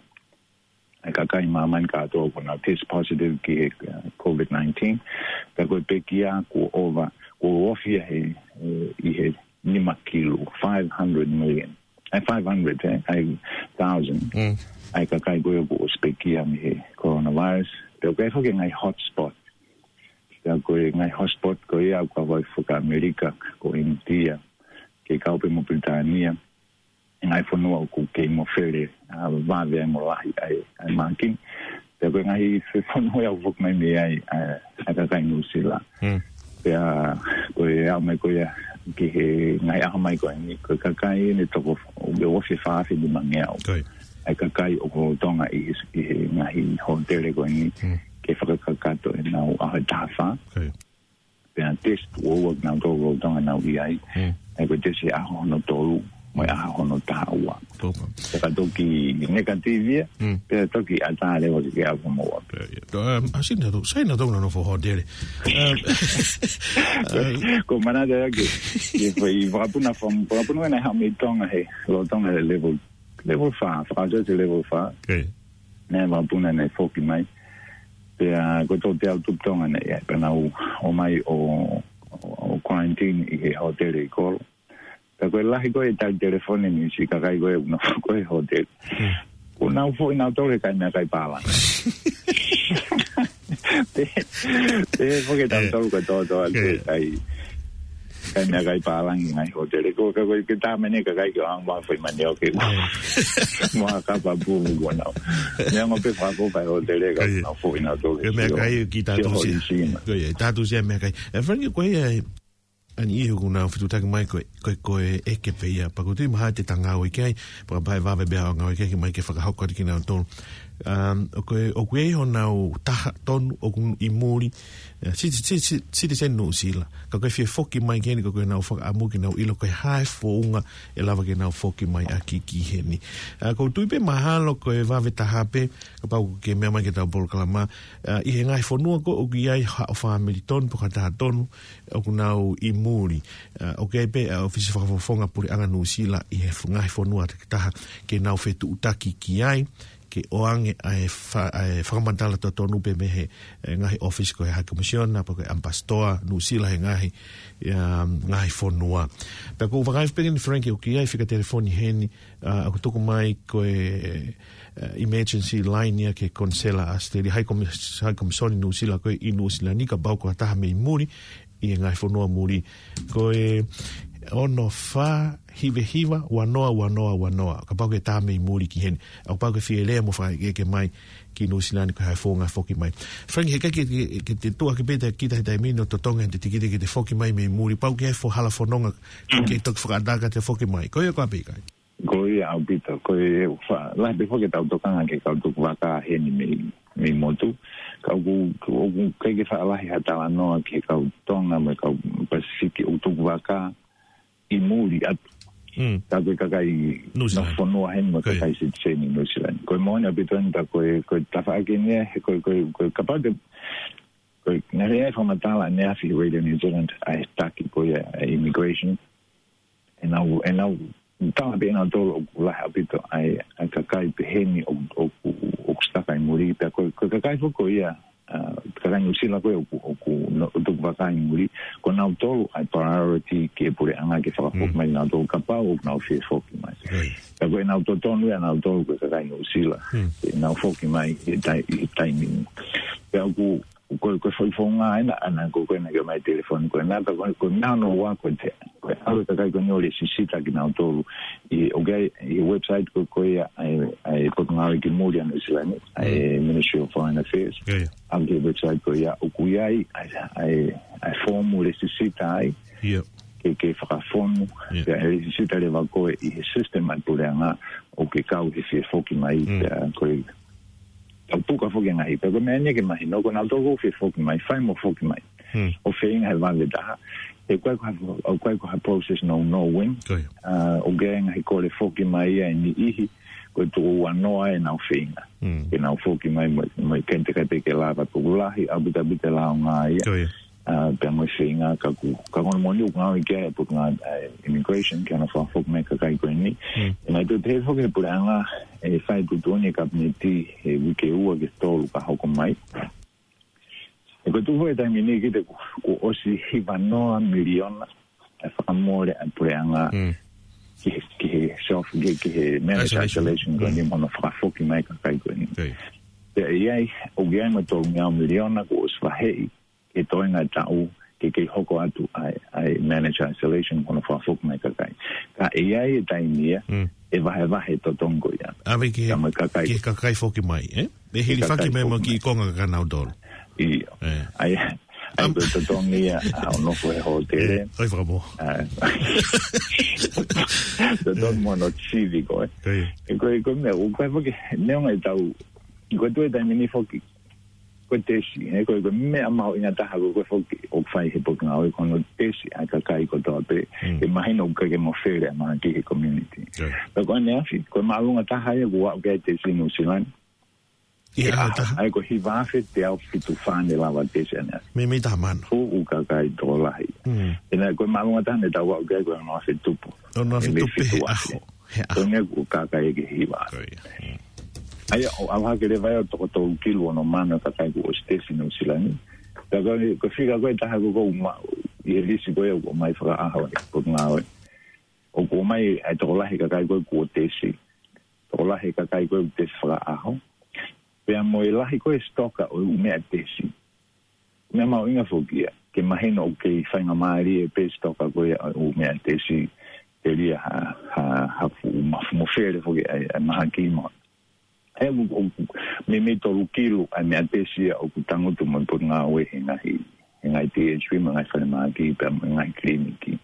ʻa e kakai ʻi māmani kātoa kuo nau test positive ki he, ʻa, COVID nineteen. Pea ko e pekia kuo ova, kuo ofi ia he, he, ʻi he nima kilu, five hundred million. ʻA e five hundred, eh, ʻa e thousand. Mm. ʻA e kakai ko ia kuo ʻosi pekia mei he coronavirus. Pea ʻoku ʻi ai foki e ngaahi hotspot. ko e ngaahi hotspot ko ia ʻoku kau ai foki ʻa ʻAmelika, ko ʻInitia, kei kau pē mo Pilitānia, ngaahi fonua ʻoku kei mofele, ʻa, vave ai mo lahi ai, ʻa e mākini. Pea ko e ngaahi fe-, fonua ia ʻoku foki mai mei ai, ʻa, ʻa e kakai Nuʻusila. Hmm. Pea ko e aʻu mai ko ia ki he ngaahi ʻaho mai ko eni, ko e kakai ʻe toko, ʻe ua afe fā afe nimangeau. Ko ia. ʻA e kakai ʻoku lolotonga ʻi he, ʻi he ngaahi hōtele ko eni, Hmm. ke fakakakato ʻenau ʻaho ʻe taha fā. Ko ia. Pea test ua ua kinautolu lolotonga ʻenau ʻi ai. Hmm. ʻA ia ko e test he ʻaho hono tolu, mo e ʻaho hono taha ua. Ko ia. Pea ka toki negative ia, Hmm. pea toki ʻatā leva ke ke ʻalu mo ua. Pea ia. To, um, ʻa Sina tau, Sina tau na nofo hōtele. Um, uh, Ko manata ia ke, ke fai vakapuna fam-, vakapuna ʻena ha mei Tonga he, lolotonga he level, level fā, fakatau te level fā. Okay. Naʻe vakapuna naʻe foki mai. Pea ko e tolu teau tupu Tonga naʻe ʻi ai, pea nau ō mai ʻo, ʻo, ʻo quarantine ʻi he hōtele ʻi kolo. Pea ko e lahi ko ē tali telefoni ni siʻi kakai ko ē ʻoku nau foki he hōtele. Hmm. ʻOku nau foʻi nautolu he kai meʻakai pālangi. Pea, pea foki e tau Eh. tolu ko e tōtō atu Eh. kai, kai meʻakai pālangi ngaahi hōtele. Ko, ka, ko, ke tā mene kakai ke ʻalu ʻo foʻi manioke. Eh. Mo ha kapa pulu ko ʻenau. Meʻa ngo pe fako pa hōtele ka Eh. nau foʻi nautolu. Ko e meʻakai ki he tau siʻa. Ko e tau siʻa meʻakai. E Frank, ko e, ʻa eni ʻoku nau fetuʻutaki mai ko e, ko e, ko e ʻeke pē ia. Pea ko e tui mahalo te ta ngāue ki ai, pea kapau ʻe vave pē ʻa e ngāue ki ai, ke mai ke fakahoko atu kinautolu. Um, ʻoku, ʻoku ʻi ai honau taha tonu ʻoku ʻi muli, eh, citi-, citi-, citizen Nuʻusila. Ka ko e fie foki mai ki heni, ka ko ʻenau fakaʻamu ke nau ʻilo ko e hā e founga ʻe lava ke nau foki mai ʻaki ki heni. Ah, ʻoku ou tui pē mahalo ko e vave taha pē, kapau ʻoku ke meʻa mai ki heʻetau polokalama, ah, ʻi he ngaahi fonua ko ē ʻoku ʻi ai haʻo fāmili tonu, pe ko ha taha tonu, ʻoku nau ʻi muli. Ah, ʻoku ʻi ai pē, ah, ʻōfisi fakafofonga puleʻanga Nuʻusila ʻi he f-, ngaahi fonua takitaha ke nau fetuʻutaki ki ai, ke ʻoange ʻa e fa-, ʻa e fakamatala totonu pē mei he, eh, ngaahi ʻōfisi ko e High Commissioner, pe ko e ʻAmipasitoa Nuʻusila he ngaahi, um, ngaahi fonua. Pea ʻoku ou vakai pē ki ai Frank ʻoku ʻi ai e fika telefoni heni, ah, ʻoku tuku mai ko e, eh, emergency line ia ki he Konisela ʻAositelēlia, High Commis-, High Commission Nuʻusila ko ē ʻi Nuʻusila ni kapau ko ha taha mei muli, ʻi he ngaahi fonua muli. Ko e ono fā hiva hiva ua noa ua noa ua noa. Kapau ʻoku ke tā mei muli ki heni. ʻOku pau ke fie lea mo fakaʻekeʻeke mai ki Nuʻusila ni ko e hā e founga foki mai. Frank, heʻikai ke, ke, ke te tuʻu hake pē ʻa kita he taimi ni ʻo totongi ʻete tikite ke te foki mai mei muli. Pau ke fo-, hala fononga ke toki fakaʻatā ke te foki mai. Ko ia ko ā pē ʻikai? Ko ia ʻaupito, ko e fa-, lahi pē foki ʻetau tokanga ki he kau tukuvaka heni mei, mei motu. Ka ʻoku, ʻoku ʻikai ke faʻa lahi ha talanoa ki he kau Tonga mo e kau Pasifiki ʻoku tukuvaka ʻi muli atu. Mm. Ka ko e kakai Nuʻusila ni. Nofo fonua heni mo e Ko ia. kakai sitiseni Nuʻusila ni. Ko e moʻoni ʻaupito eni ka ko e, ko e tafaʻaki eni ia, he ko e, ko e, ko e kapau te, ko e, naʻe ʻi ai e fakamatala ʻaneafi he Radio New Zealand ʻa e taki ko ia ʻa e immigration. ʻEnau, ʻenau, tala pē ʻenautolu ʻoku lahi ʻaupito ʻa e, ʻa e kakai pehē ni ʻoku, ʻoku, ʻoku stuck ai muli, pea ko, ko e kakai foki ko ia, ah, kakai Nuʻusila ko ē ʻoku, ʻoku no-, tukuvaka ʻi muli, ko nautolu ʻa e priority ki he puleʻanga ke fakafoki Mm. mai nautolu kapau ʻoku nau fie foki mai. Right. Pea ko ʻenau totonu ia nautolu ko e kakai Nuʻusila, Hmm. ke nau foki mai he tai-, he taimi ni. Pea ʻoku, ko, ko e foʻi founga ʻena, ʻana ko, ko ʻena ke mai telefoni ko ʻena, ka ko, ko e meʻa hono ua ko e te, ko e ʻalu e kakai ko eni ʻo lēsisita kinautolu. ʻI, ʻoku ʻi ai, ʻi he website ko, ko ia, ʻa e, ʻa e Potungāue ki Muli ʻa Nuʻusila ni, ʻa e Mm. Ministry of Foreign Affairs. Yeah, yeah. ʻAlu ki he website ko ia, ʻoku ʻi ai, ʻa e, ʻa e, ʻa e foomu lēsisita ai. Yeah. Ke, ke fakafonu, Yeah. ke lēsisita leva koe ʻi he system ʻa e puleʻanga, ʻo ke kau he fie foki mai, Mm. pea ko e tau puka foki ngaahi, pea ko e meʻa ni ke mahino, ko nautolu ʻoku fie foki mai, fai mo foki mai. Hmm. ʻO feinga he vave taha. ʻOku ʻikai ko ha, ʻoku ʻikai ko ha process no, no win. Ko ia. Ah, ʻoku ʻi ai ngaahi kole foki mai ia ʻe niʻihi, ko e tuʻo ua noa ʻenau feinga. Hmm. Ke nau foki mai mo, mo e kente kai pē ke lava tuku lahi, ʻaupito ʻaupito e lāunga ia. Ko ia. Ah, pea mo e feinga ka ʻoku, ka ko hono moʻoni ʻoku ngāue ki ai e Potungāue, eh, Immigration, ke nau fakafoki mai e kakai ko eni. Hmm. ʻE mai tuʻu pehē foki he puleʻanga, ʻe fai tuʻutuʻuni e Kapineti he uike ua ki he tolu ka hoko mai. ʻE ko e tuʻu foki he taimi ni ki he kuo, kuo ʻosi hiva noa miliona e fakamole ʻa e puleʻanga Mm. ki he, ki he self, ki he, ki he managed Isolation. isolation ko eni Mm. mo hono fakafoki mai e kakai ko eni. Okay. Pea ʻi ai, ʻoku ʻi ai mo e tolungeau miliona kuo ʻosi vaheʻi he toenga taʻu, ke kei hoko atu ai, ai manage isolation, ko hono fakafoki mai kakai. Ka ʻe ʻi ai e taimi ia, Mm. ʻe vahevahe totongi ko ia. ʻAve ki he, Ka mo e kakai. ki he kakai foki mai, ē? ʻE hili Ki he faki kakai mai mo foki ki mai. konga ka kanautolu. ʻIo. Ē. ʻAi, ʻai Am- ko e totongi ia, ʻa hono nofo he hōtele. Ē, ʻoi fakamoa. ʻA, totongi mo hono sivi ko ē. ʻIo. ʻE ko e, ko e meʻa, ʻoku ʻikai foki, neongo e tau, ko e tuʻu e taimi ni foki, ko e tesi, ē, ko e, ko e meʻa mahuʻinga taha ko ē foki ʻoku fai he Potungāue ko hono tesi ʻa e kakai kotoa pē, Mm. ke mahino ʻoku ʻikai ke mafele ʻa e mahaki he community. ʻIo. Pea ko ʻaneafi, ko e māʻolunga taha ia kuo aʻu ki ai e tesi Nuʻusila ni. ʻI he ʻaho ʻe taha? ʻAi ko e hiva afe teau fitu fā ne lava tesi ʻaneafi. Meimei taha mano. Fuʻu kakai tokolahi. Mm. ʻInā ko e māʻolunga taha ne tau aʻu ki ai ko e ono afe tupu. Ono afe Meimei tupu he fitu afe. ʻaho. He ʻaho. Ko ʻene kuo kakai ʻe hiva afe. ʻIo. Mm. ʻAia, ʻo ʻalu hake leva ia ʻo toko tolu kilu ono mano kakai kuo ʻosi tesi Nuʻusila ni. Ka ko e, ko e fika ko ē taha ko ē ʻoku maʻu ʻi he lisi ko ē ʻoku ʻomai fakaʻaho ʻe he Potungāue. ʻOku ʻomai ʻa e tokolahi kakai ko ē kuo tesi. Tokolahi kakai ko ē ʻoku tesi fakaʻaho. Pea mo e lahi ko ē sitoka ʻo e ʻū meʻa tesi. Meʻa mahuʻinga foki ia, ke mahino ʻoku kei faingamālie pē sitoka ko ia ʻo e ʻū meʻa tesi, telia ha, ha, ha fuʻu mafu mafele foki ʻa e, ʻa e mahaki mo. ʻE, ʻoku, ʻoku, meimei tolu kilu ʻa e meʻa tesi ia ʻoku tangutu mo e Potungāue he ngaahi, he ngaahi T H P, mo e ngaahi falemahaki, pea mo e ngaahi kiliniki.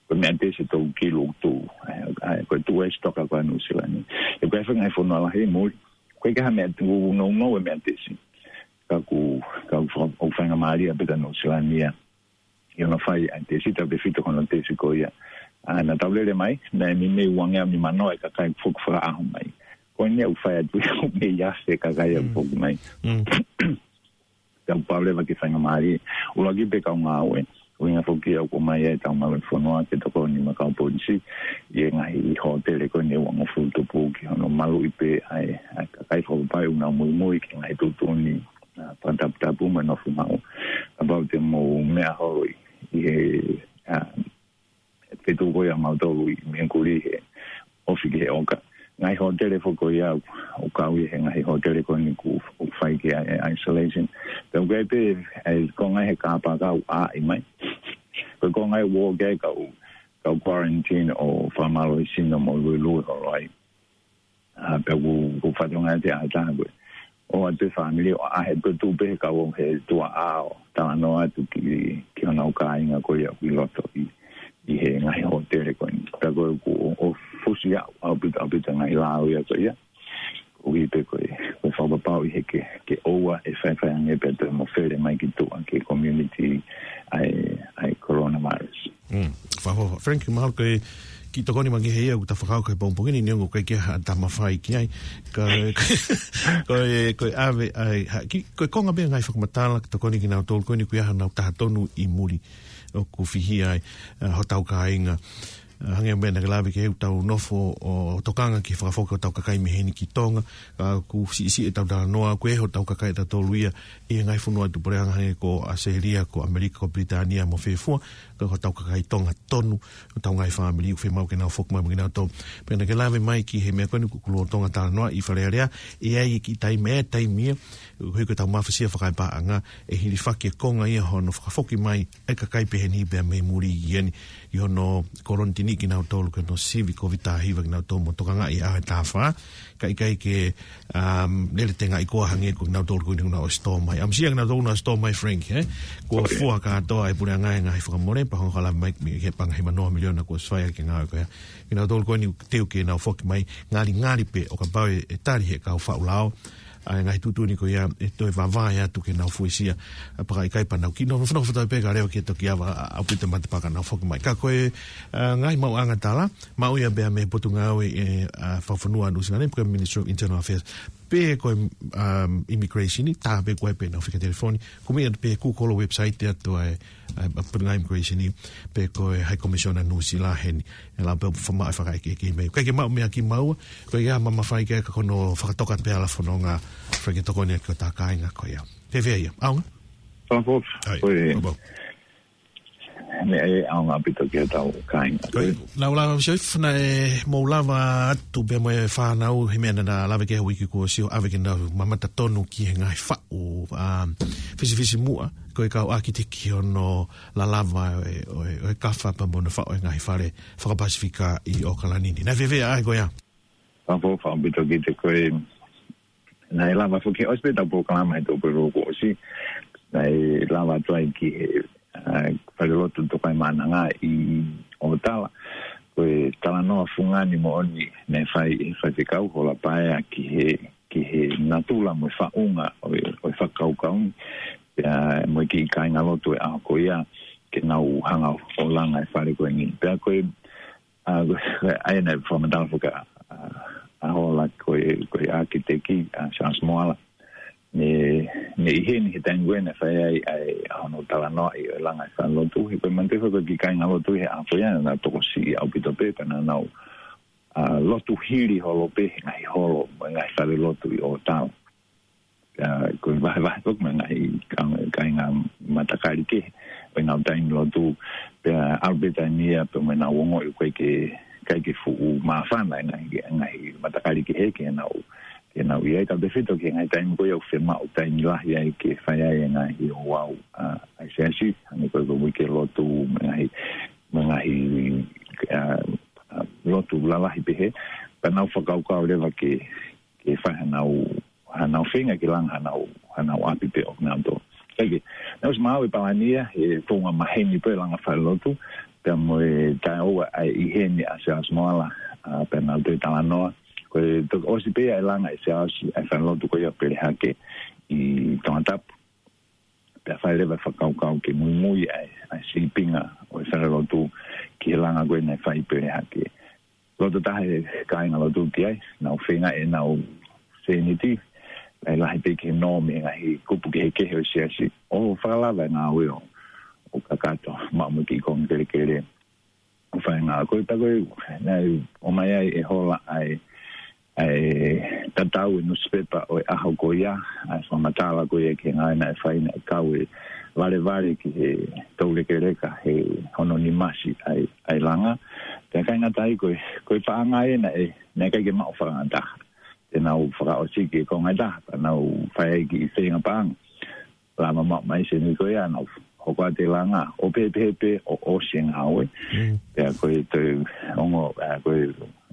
Ko e meʻa tesi tolu kilu ʻoku tuʻu, ʻa e, ʻa e, ko e tuʻu e sitoka ko ē ʻa Nuʻusila ni. ʻE ko e fanga ngaahi fonua lahi muli, ko e ʻikai ha meʻa tesi, ʻoku nounou e meʻa tesi. Ka ʻoku, ka ʻoku fa-, ʻoku faingamālie pē kia Nuʻusila ni ia. ʻI hono fai ʻa e tesi, tautefito ki hono tesi ko ia. ʻA, naʻa tau lele mai, naʻe meimei uangeau nimanoa e kakai foki fakaʻaho mai. Ko ʻene ʻoku fai atu ia ʻoku meimei afe kakai ʻoku Mm. foki mai. Mm. Ka ʻoku pau leva ke faingamālie. ʻUluaki pē kau ngāue. ʻUhinga foki ia ʻoku ʻomai ai ʻetau maluʻi fonua ke tokoni mo e kau polisi. ʻI he ngaahi hōtele ko eni ʻe uangofulu tupu ki hono maluʻi pē ʻa e, ʻa e kakai fakapapau ʻoku nau muimui ki he ngaahi tuʻutuʻuni, ʻa, fakataputapu mo e nofo maʻu. Kapau te mou meʻa holo ʻi, ʻi he, ʻa, feituʻu ko ia ʻa mautolu ʻi Mingakuli he ofi ki he ʻoka. Ngaahi hōtele foki ko ia ʻoku kau ia he ngaahi hōtele ko eni ʻoku, ʻoku fai ki ai e isolation. Pea ʻoku ʻi ai pē, ʻa e konga he kāpaka ʻoku ʻaʻi mai. Ko e konga ia ʻoku ʻi ai e kau, kau quarantine ʻo fakamālohisino mo luelue holo ai. ʻA, pea ʻoku, ʻoku fatongia te ʻa e taha ko ē. ʻO ʻatu e fāmili ʻo ʻaʻahi pē tuʻu pē he kau he tuʻa ʻo talanoa atu ki, ki honau kāinga ko ia ʻoku ʻi loto ʻi, ʻi he ngaahi hōtele ko eni. Pea ko ē ʻoku, ʻo, ʻo fusi ʻaupito, ʻaupito ngaahi lāuia ko ia. ʻOku ʻi ai pē ko e, ko e fakapapauʻi he ke, ke ʻoua ʻe faifai ange pea toe mafele mai ki tuʻa ki he community ʻa e, ʻa e coronavirus. Mm, fakaʻofoʻofa. Frank, mahalo ko e kiʻi tokoni mai ki he ia, ʻoku ta fakau kai pongpongi ni, neongo ʻikai ke ha ta mafai ki ai. Ka, ko e, ko e ʻave ai, ha, ki, ko e konga pē ngaahi fakamatala, tokoni kinautolu, ko eni ʻoku ʻi ai hanau taha tonu ʻi muli, ʻoku fihia ai, ʻa, hotau kāinga. ʻA, hangē ko e meʻa naʻa ke lave ki ai ʻoku tau nofo ʻo tokanga ki he fakafoki hotau kakai mei heni ki Tonga, ʻa, ʻoku siʻisiʻi ʻetau talanoa, ʻoku ʻi ai hotau kakai ʻatautolu ia, ʻi he ngaahi fonua ʻi tupuleʻanga hangē ko ʻAositelēlia, ko ʻAmelika, ko Pilitānia, mo fē fua, ka ko hotau kakai Tonga tonu, hotau ngaahi fāmili, ʻoku fiemaʻu ke nau foki mai mo kinautolu. Pea naʻa ke lave mai ki he meʻa ko eni ʻoku lolotonga talanoaʻi ʻi Fale Alea, ʻi ai e kiʻi taimi, ʻe taimi ia, ʻoku ʻi ai ko ʻetau mafasia fakaepaʻanga, ʻe hilifaki e konga ia hono fakafoki mai, ʻa e kakai pehē ni pea mei muli ʻi heni, ʻi hono kolonitini kinautolu ki hono sivi Kōviti taha hiva kinautolu mo tokangaʻi ʻa e taha fā, ka ʻikai ke, um, lele tengaʻi koā hangē ko kinautolu ko eni ʻoku nau ʻosi tō mai. ʻAmusia kinautolu ʻoku nau ʻosi tō mai, Frank, ē? Kuo fua kātoa e puleʻanga e ngaahi fakamole, pea hoko ʻo lave mai ki he paʻanga ʻe hiva noa miliona kuo ʻosi fai ʻaki e ngāue ko ia. Kinautolu ko eni ʻoku teu ke nau foki mai, ngalingali pē ʻo kapau ʻe, ʻe tali ʻe he kau faʻu lao ʻa e ngaahi tuʻutuʻuni ko ia, ʻe toe vavae atu ke nau fuesia, ʻa, pea ka ʻikai pea nau kiʻi nofo, nofo, nofo atu pē kae leva ke toki ava, ʻa, ʻaupito matapā ka nau foki mai. Ka ko e, ʻa, ngaahi maʻuʻanga tala, maʻu ia pea mei he Potungāue, ʻe, ʻa, Fakafonua Nuʻusila ni, pe ko e Ministry of Internal Affairs, pe ko e, um, Immigration, tā pē ko ē pē nau fika telefoni, kumi atu pē Google website atu ai, ʻa, ʻa, Potungāue Immigration, pe ko e High Commissioner Nuʻusila heni, ʻe lava pē ʻo fama-, fakaʻekeʻeke mai. ʻIkai ke maʻu meʻa kimaua, ko ia ma mafai ke ka ko hono fakatoka pē ʻa e fononga, fai ke tokoni ʻaki hotau kāinga ko ia. Fēfē ia, ʻaonga? Fakaʻofoʻofa. ʻAi, ko e fakaʻofoʻofa. Meʻa ʻe ʻaonga ʻaupito ki hotau kāinga. Ko ia, lau lau si oif naʻe mou lava atu pea mo e fānau he meʻa naʻa na lave ki he uike kuo ʻosi ʻo ʻave ke nau mamata tonu ki he ngaahi faʻu, ʻa, fisifisimuʻa, ko e kau ʻākiteki hono lalava ʻo e, ʻo e, ʻo e kafa pea mo hono faʻu e ngaahi fale fakapasifika ʻi ʻOkalani ni. Naʻe fiefia ai ko ia. Fakaʻapaʻapa ʻaupito kiate koe. Naʻe lava foki ʻosi pē ʻetau polokalama he tō pē loko ʻosi. Naʻe lava atu ai ki he, ʻa, falelotu Tokaimaʻananga ʻi ʻOtala. Ko e talanoa fungani moʻoni naʻe fai ʻe he faifekau Hola Paea ki he, ki he natula mo e faʻunga ʻo e, ʻo e fakakaukau ni. Pea mo e kiʻi kāingalotu ʻo e ʻaho ko ia ke nau hanga ʻo langa e fale ko eni. Pea ko e ʻA, ko e, ʻa ia naʻe fakamatala foki ʻa, ʻa, ʻa Hola ko e, ko e ʻākiteki, ʻa Charles Moala. Ne, ne ʻi heni he taimi ko ē naʻe fai ai, ʻa e, ʻa hono talanoaʻi ʻo e langa e falelotu. He ko e manatuʻi foki ko e kiʻi kāingalotu he ʻaho ko ia naʻa nau tokosiʻi ʻaupito pē, pea naʻa nau, ʻa, lotu hili holo pē he ngaahi holo, mo e ngaahi falelotu ʻi ʻOtala. Pea ko e vahevahe foki mo e ngaahi ka-, kāinga matakali kehe ʻo ʻenau taimi lotu, pea ʻalu pē taimi ia pea mo ʻenau ongoʻi ʻoku ʻikai ke, ʻikai ke fuʻu māfana e ngaahi, ngaahi matakali kehe ke nau, ke nau ʻi ai, tautefito ki he ngaahi taimi ko ia ʻoku fiemaʻu taimi lahi ai ke fai ai e ngaahi ouau, ʻa, ʻa e siasi, hangē ko e, ko e uike lotu, mo e ngaahi, mo e ngaahi, ʻa, ʻa, lotu lalahi pehē, pea nau fakakaukau leva ke, ke fai hanau hanau feinga ke langa hanau, hanau ʻapi pē ʻo nau tō. Kae kehe, naʻe ʻosi maʻu e palani ia, he founga maheni pē langa falelotu, pea mo e taʻeʻoua ʻa e ʻi heni ʻa Charles Moala, ʻa, pea nau toe talanoa. Ko e toki ʻosi pē ia e langa ʻe Charles ʻa e falelotu ko ia Pelehake ʻi Tongatapu. Pea fai leva e fakakaukau ke muimui ʻa e, ʻa e sīpinga ʻo e falelotu ki he langa ko ē naʻe fai Pelehake. Loto taha e kāingalotu ki ai, nau feinga ʻenau sēniti, lahi lahi pē ki he nōmi e ngaahi kupu kehekehe ʻo e siasi, ʻo fakalava e ngāue ʻo, ʻo kakato, maʻu mo e kiʻi konga kelekele. ʻO fai e ngāue ko ē, pea ko ē, naʻe ʻomai ai ʻe Hola ʻa e, ʻa e tatau e nusipepa ʻo e ʻaho ko ia, ʻa e fakamatala ko ia ki he ngāue naʻe fai naʻe kau e valevale ki he toulekeleka he hono nimasi ʻa e, ʻa e langa. Pea ʻikai ngata ai ko e, ko e paʻanga ē naʻe, naʻe ʻikai ke maʻu fakangataha. Te nau fakaʻosi ki he konga ʻe taha, pea nau fai ai kiʻi feinga paʻanga. Lava maʻu mai sēniti ko ia, nau hoko atu e langa, ʻo pehē pē ʻo ʻosi e ngāue. Mm. Pea ko e toe ongo, ʻa, ko e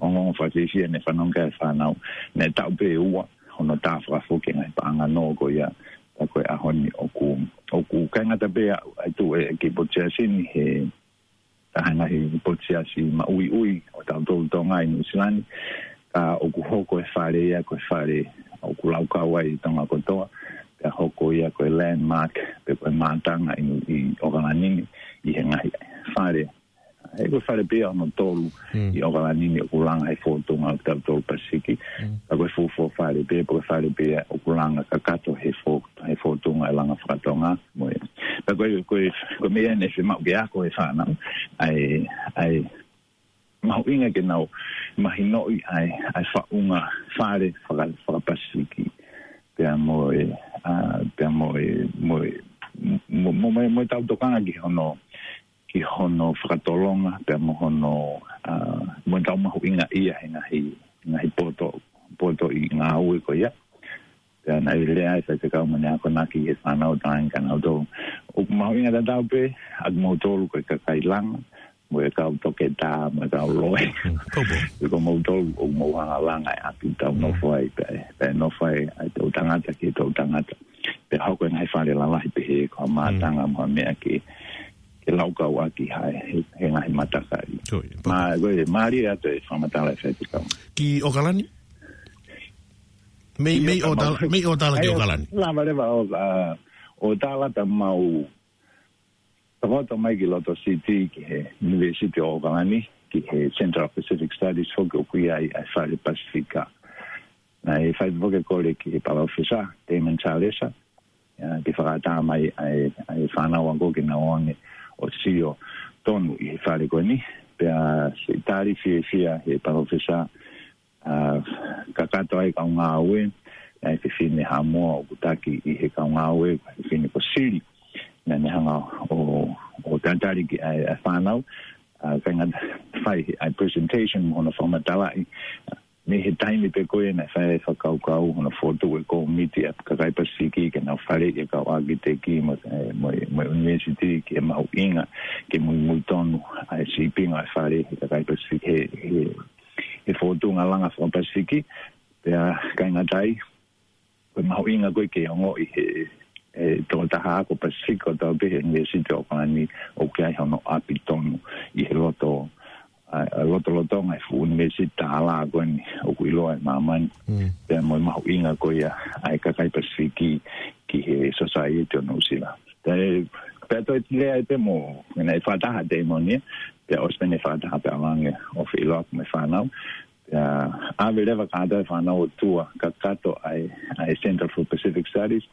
ongoongo fakasiasi ia naʻe fanongo ki ai e fānau, naʻe taʻu pē ʻe ua hono tā fakafoki e ngaahi paʻanga nō ko ia, pea ko e ʻaho ni ʻoku, ʻoku ʻikai ngata pē ʻa, ʻa e tuʻu e kiʻi potu siasi ni he taha e ngaahi potu siasi maʻuiʻui ʻo tautolu Tonga ʻi Nuʻu Sila ni, ka ʻoku hoko e fale ia ko e fale ʻoku laukau ai ʻi Tonga kotoa, pea hoko ia ko e landmark, pe ko e mātanga ʻi, ʻi ʻOkalani ni, ʻi he ngaahi fale. He ko e fale pē ia hono tolu Mm. ʻi ʻOkalani ni ʻoku langa he fōtunga ʻo tautolu Pasifiki. Mm. Ka ko e fuofua fale pē, pe ko e fale pē ia ʻoku langa kakato he fō-, he fōtunga e langa fakatonga. Mo e. Pea ko e, ko e, ko e meʻa naʻe fiemaʻu ke ako ʻe he fānau, ʻa e, ʻa e mahuʻinga ke nau mahinoʻi ʻa e, ʻa e faʻunga fale faka-, fakapasifiki. Pea mo e, ʻa, pea mo e, mo e, mo, mo, mo, mo ʻetau tokanga ki hono, ki hono fakatolonga, pea mo hono, ʻa, mo ʻetau mahuʻingaʻia he ngaahi, ngaahi poto, potoʻi ngāue ko ia. Pea naʻe lea ai e faifekau mo ne akonaki ki he fānau Tonga ni kia nautolu. ʻOku mahuʻinga tatau pē ʻa kimoutolu ko e kakai langa, mo e kau toketā, mo e kau loea. Mm, kau pō. Pea ko moutolu ʻoku mou hanga ʻo langa e ʻapi ʻoku tau Mm. nofo ai, pea, pea nofo ai ʻa e toʻutangata ki he toʻutangata. Pea hoko e ngaahi fale lalahi pehē ko ha mātanga Mm. mo ha meʻa ke, ke laukau ʻaki ha, he, he ngaahi matakali. Ko ia, pō. Mā, ko e, mālie atu e fakamatala e faifekau. Ki ʻOkalani? Mei, Ia, mei ka ʻOtala, mau mei ʻOtala ki ʻAi, ʻOkalani. Lava leva ʻo, ʻa, ʻOtala pea mau takoto mai ki loto City ki he University ʻo ʻOkalani, ki he Centre of Pacific Studies foki ʻoku ʻi ai ʻa e fale Pasifika. Naʻe fai foki e kole ki he palōfesa, Damon Salesa, ʻa, ke fakaʻatā mai ʻa e, ʻa e fānau ako ke nau ō ange ʻo sio tonu ʻi he fale ko eni, pea siʻi tali fiefia he palōfesa, ʻa, kakato ai kau ngāue, ʻa e fefine Haʻamoa ʻoku taki ʻi he kau ngāue, fefine ko Sili, naʻa ne hanga ʻo, ʻo Pea tali ki ai ʻa e fānau, ʻa, kāinga, fai ʻa e presentation mo hono fakamatalaʻi, mei he taimi pē ko ē naʻe fai ai e fakakaukau hono fokotuʻu e kōmiti ʻa e kakai Pasifiki ke nau faleʻi e kau ʻākiteki mo, e, mo, mo e ʻunivēsiti ki he mahuʻinga ke muimui tonu ʻa e sīpinga ʻa e fale ʻa e kakai Pasifiki he, he, he fokotuʻunga langa faka-Pasifiki. Pea kāinga, ko e mahuʻinga ko ē ke ongoʻi ʻe he, he tokotaha ako Pasifiki kotoa pē he ʻUnivēsiti ʻo ʻAokalani ʻoku ʻi ai hono ʻapi tonu ʻi he loto, ʻa, ʻa e lotolotonga e fuʻu ʻunivēsiti tālā ko eni ʻoku ʻiloa ʻi māmani. Mm. Pea mo e mahuʻinga ko ia ʻa e kakai Pasifiki ki he society ʻo Nuʻusila. Pea, pea toe lea ai pē mo, naʻe fakataha Damon ia, pea ʻosi pē ʻene fakataha pea ʻalu ange ʻo feʻiloaki mo e fānau. Pea ʻave leva kātoa e fānau ʻo tour kakato ʻa e, ʻa e Center for Pacific Studies,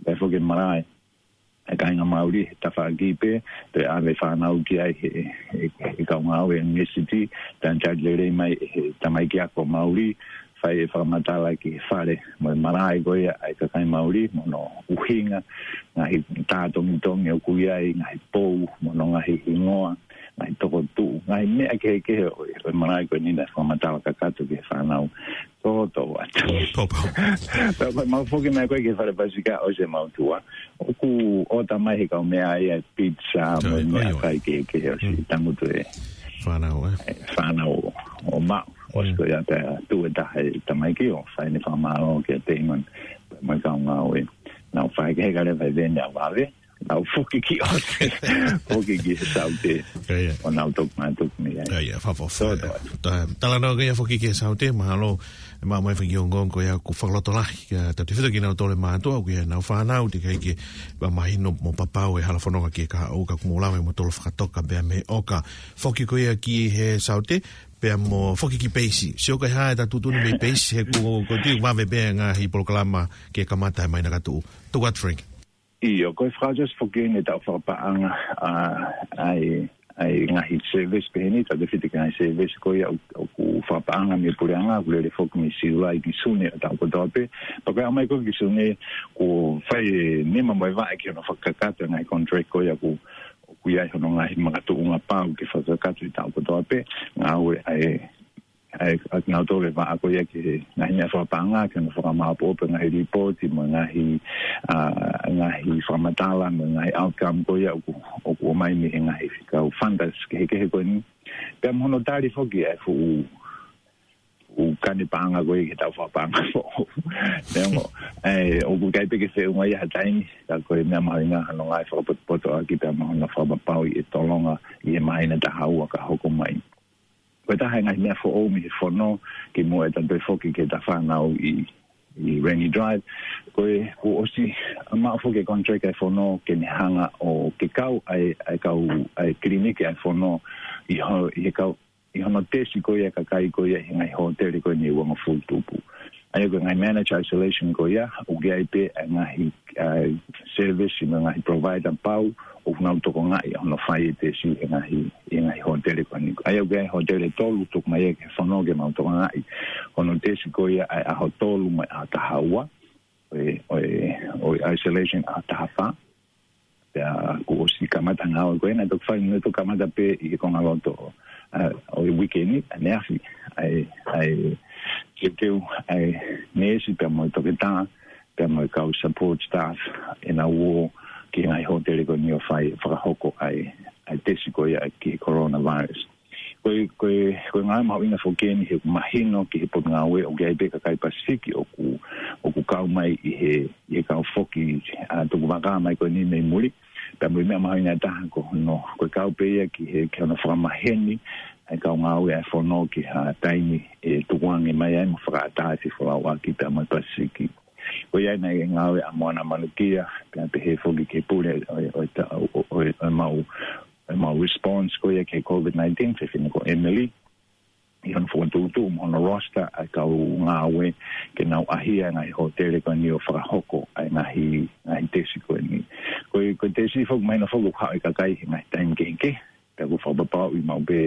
pea foki e malaʻe ʻa e kāinga Māori he tafaʻaki pē, pea ʻave fānau ki ai he, he, he kau ngāue ʻunivēsiti, pea tali lelei mai ʻe he tamaiki ako Māori, fai e fakamatala ki he fale mo e malaʻe ko ia ʻa e kakai Māori, mo hono ʻuhinga, ngaahi tā tongitongi ʻoku ʻi ai, ngaahi pou, mo hono ngaahi hingoa, ngaahi tokotuʻu, ngaahi meʻa kehekehe ʻo, ʻo e malaʻe ko eni naʻe fakamatala kakato ki he fānau. Tōtōatu. Pau, pau. Pea ko e mau foki mai ko ē ki he fale Pasifiki ʻosi ʻemau tour, ʻoku ʻota mai he kau meʻa ia e pizza, mo e meʻakai kehekehe ʻosi tangutu e fānau, ē? E fānau ʻo maʻu. ʻOsi ko ia pea tuʻu e taha e tamaiki ʻo fai ʻene fakamālō kia Damon mo e kau ngāue. Nau fai ke heka leva e veni ʻo vave, nau foki ki ʻOsi, foki ki he Saute. ʻIo, ʻio. ʻO nau toki mātuku mei ai. ʻIo, ʻio, fafo, fafo. Tōtōatu. Ta-, talanoa ko ia foki ki he Saute, mahalo ʻe maʻu mai e fanga kiʻi ongoongo ia ʻoku fakalotolahi kiate kitautolu kinautolu e mātuʻa, ʻoku ʻi ai ʻenau fānau, teʻeki ai ke mahino mo papau e hala fononga ki he kahaʻu, ka ʻoku mou lava ʻo mou tolo fakatoka pea mei ʻOka. Foki ko ia ki he Saute, pea mo foki ki Peisi. Sio ko e hā ʻeta tuʻutuʻuni mei Peisi, he ʻoku, ʻoku ou tui ʻoku vave pē ngaahi polokalama ke kamata he māhina ka tuʻu. Tōtōatu, Frank. ʻIo, ko e fakaʻosi foki eni ʻetau fakapaʻanga, ʻa, ʻa e, ʻa e ngaahi service pehē ni, tau tefiti ki he ngaahi service ko ia ʻoku, ʻoku fakapaʻanga mei he puleʻanga, ʻoku lele foki mei Siulai ki Sune ʻo e taʻu kotoa pē. Pea ko e aʻu mai ko ē ki Sune, kuo fai e nima mo e vaʻe ki hono fakakakato e ngaahi contract ko ia ʻoku, ʻoku ʻi ai hono ngaahi makatuʻunga pau ke fakakakato he taʻu kotoa pē, ngāue ʻa e ʻa e, ʻa kinautolu e vaʻa ko ia ki he ngaahi meʻa fakapaʻanga, ke nau fakamāʻopoʻopo e ngaahi lipooti mo e ngaahi, ʻa, ngaahi fakamatala mo e ngaahi outcome ko ia ʻoku, ʻoku ʻomai mei he ngaahi kau funders kehekehe ko eni. Pea mo hono tali foki e fuʻu, fuʻu kani paʻanga ko ia ki heʻetau fakapaʻanga foʻou. Neongo, ʻe, ʻoku ʻikai pē ke feʻunga ia ha taimi, ka ko e meʻa mahuʻinga hono ngaahi fakapotopotoʻaki pea mo hono fakapapauʻi e tolonga ʻi he māhina taha ua ka hoko mai. Ko e taha e ngaahi meʻa foʻou mei he fono, kimuʻa ʻeta toe foki ki heʻeta fānau ʻi, ʻi Rainy Drive. Ko e, kuo ʻosi maʻu foki e contract ʻa e fono ke ne hanga ʻo ke kau ʻa e, ʻa e kau, ʻa e kiliniki ʻa e fono ʻi ho-, ʻi he kau, ʻi hono tesi ko ia e kakai ko ia ʻi he ngaahi hōtele ko eni ʻe uangofulu tupu. ʻA ia ko e ngaahi managed isolation ko ia, ʻoku ʻi ai pē ʻa e ngaahi, ʻa e service mo e ngaahi provider pau, ʻoku nau tokangaʻi hono fai e tesi he ngaahi, he ngaahi hōtele ko eni. ʻA ia ʻoku ʻi ai e hōtele ʻe tolu, tuku mai ia ki he fono ke mau tokangaʻi hono tesi ko ia ʻa e ʻaho tolu mo e ʻaho taha ua, ʻo e, ʻo e, ʻo e isolation ʻaho taha fā. Pea kuo ʻosi kamata ngāue ko ena, toki fai, ne toki kamata pē ʻi he konga loto, ʻa, ʻo e uike ni, ʻaneafi, ʻa e, ʻa e, teuteu, ʻa e neesi pea mo e toketā, pea mo e kau support staff, ʻenau ō ki he ngaahi hōtele ko eni ʻo fai, fakahoko ʻa e, ʻa e tesi ko ia ki he coronavirus. Ko e, ko e, ko e ngāue mahuʻinga foki eni he ʻoku mahino ki he potungāue ʻoku ʻi ai pē kakai Pasifiki ʻoku, ʻoku kau mai ʻi he, ʻi he kau foki, ʻa, tukuvakā mai ko eni mei muli. Pea mo e meʻa mahuʻinga taha ko hono, ko e kau pē ia ki he, ki hono fakamaheni ʻa e kau ngāue ʻa e fono ki ha taimi ʻe tukuange mai ai mo fakaʻatā e fefolauʻaki pea mo e Pasifiki. Ko ia naʻe ngāue ʻa Moana Manukia, pea pehē foki ki he pule ʻo, ʻo, ʻo, ʻo, ʻo, ʻo mau, ʻo mau response ko ia ki he COVID nineteen, fefine ko Emily, ʻi hono fokotuʻutuʻu mo hono roster ʻa e kau ngāue ke nau ʻahia e ngaahi hōtele ko eni ʻo fakahoko ʻa e ngaahi, ngaahi tesi ko eni. Ko e, ko e tesi foki mahino foki ʻoku haʻu e kakai he ngaahi taimi kehekehe, pea ʻoku fakapapauʻi maʻu pē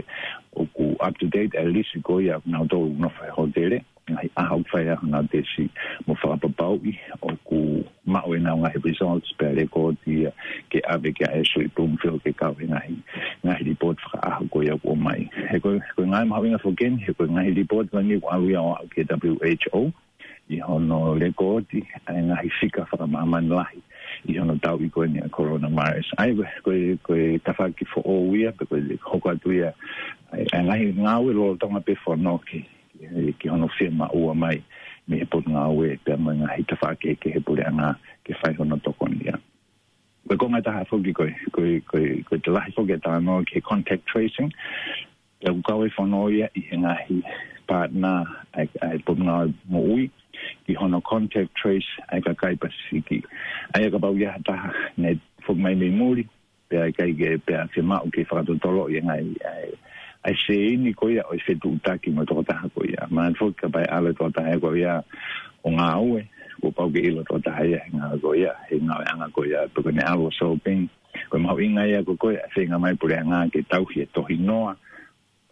ʻoku up to date ʻa e lisi ko ia ʻoku nau tolu nofo he hōtele. ngaahi ʻaho ʻoku fai ai honau tesi mo fakapapauʻi ʻoku maʻu ʻenau ngaahi results pe lēkooti ia ke ʻave ki he Suʻi Bloomfield ke kau he ngaahi, ngaahi lipooti fakaʻaho ko ia ʻoku ʻomai. He ko e, ko e ngaahi mahuʻinga foki eni, he ko e ngaahi lipooti ko eni ʻoku ʻalu ia ʻo aʻu ki he W H O ʻi hono lēkooti ʻa e ngaahi fika fakamāmani lahi ʻi hono tauʻi ko eni ʻa e coronavirus. ʻA ia ko e, ko e, ko e tafaʻaki foʻou ia, pe ko e hoko atu ia ʻa e, ʻa e ngaahi ngāue lolotonga pē fono ki, ki, ki hono fiemaʻua mai mei he potungāue pea mo e ngaahi tafaʻaki kehekehe puleʻanga ke fai hono tokoni ia. Ko e konga ʻe taha foki ko e, ko e, ko e, ko e lahi foki e talanoa ki he contact tracing. Pea ʻoku kau e fono ia ʻi he ngaahi partner ʻa e, ʻa e potungāue moʻui ki hono contact trace ʻa e kakai Pasifiki. ʻA ia kapau ʻoku ʻi ai ha taha naʻe foki mai mei muli, pea ʻikai ke, pea fiemaʻu ke fakatotoloʻi e ngaahi, ʻa e, ʻa e sēini ko ia ʻo e fetuʻutaki mo e tokotaha ko ia. Mahalo foki kapau ʻe ʻalu e tokotaha ko ia ʻo ngāue, kuo pau ke ʻilo e tokotaha ia he ngāue ko ia, he ngāueʻanga ko ia, pe ko ʻene ʻalu ʻo shopping. Ko e mahuʻinga ia ko e, ko e feinga mai puleʻanga ke tauhi e tohinoa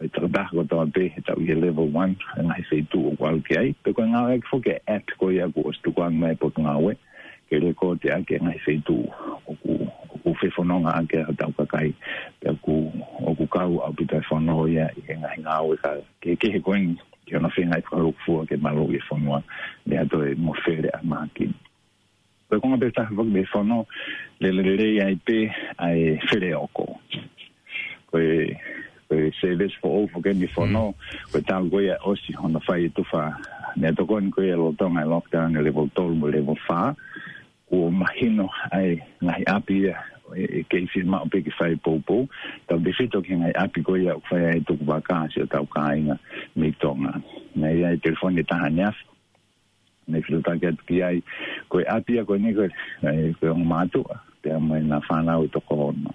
ʻo e tokotaha kotoa pē he tauʻi he level one, ʻa e ngaahi feituʻu ʻoku ʻalu ki ai. Pea ko e ngāueʻaki foki e app ko ia kuo ʻosi tukuange mai e potungāue ke lēkooti ʻaki e ngaahi feituʻu ʻoku, ʻoku fefononga ʻaki ai hotau kakai. Pea ʻoku, ʻoku kau ʻaupito e fono ia ʻi he ngaahi ngāue kehekehe ko eni ki hono feinga ʻi fakalukufua ke maluʻi e fonua mei ha toe mofele ʻa e mākini. Ko e konga pē ʻe taha foki mei he fono, lele lelei ai pē ʻa e feleoko. Ko e, ko e service foʻou foki eni fono, ko e talu ko ia ʻosi hono fai e tufa meʻatokoni ko ia lolotonga e lockdown e level tolu mo e level fā, kuo mahino ʻa e ngaahi ʻapi ia ʻe, ʻe kei fiemaʻu pē ke fai poupou, tautefito ki he ngaahi ʻapi ko ia ʻoku fai ai e tukuvaka ʻa siʻotau kāinga mei Tonga. Naʻe ʻi ai e telefoni ʻe taha ʻaneafi, naʻe filo taki atu ki ai, ko e ʻapi ia ko eni ko e, ko e ongo mātuʻa pea mo ʻena fānau ʻe toko ono.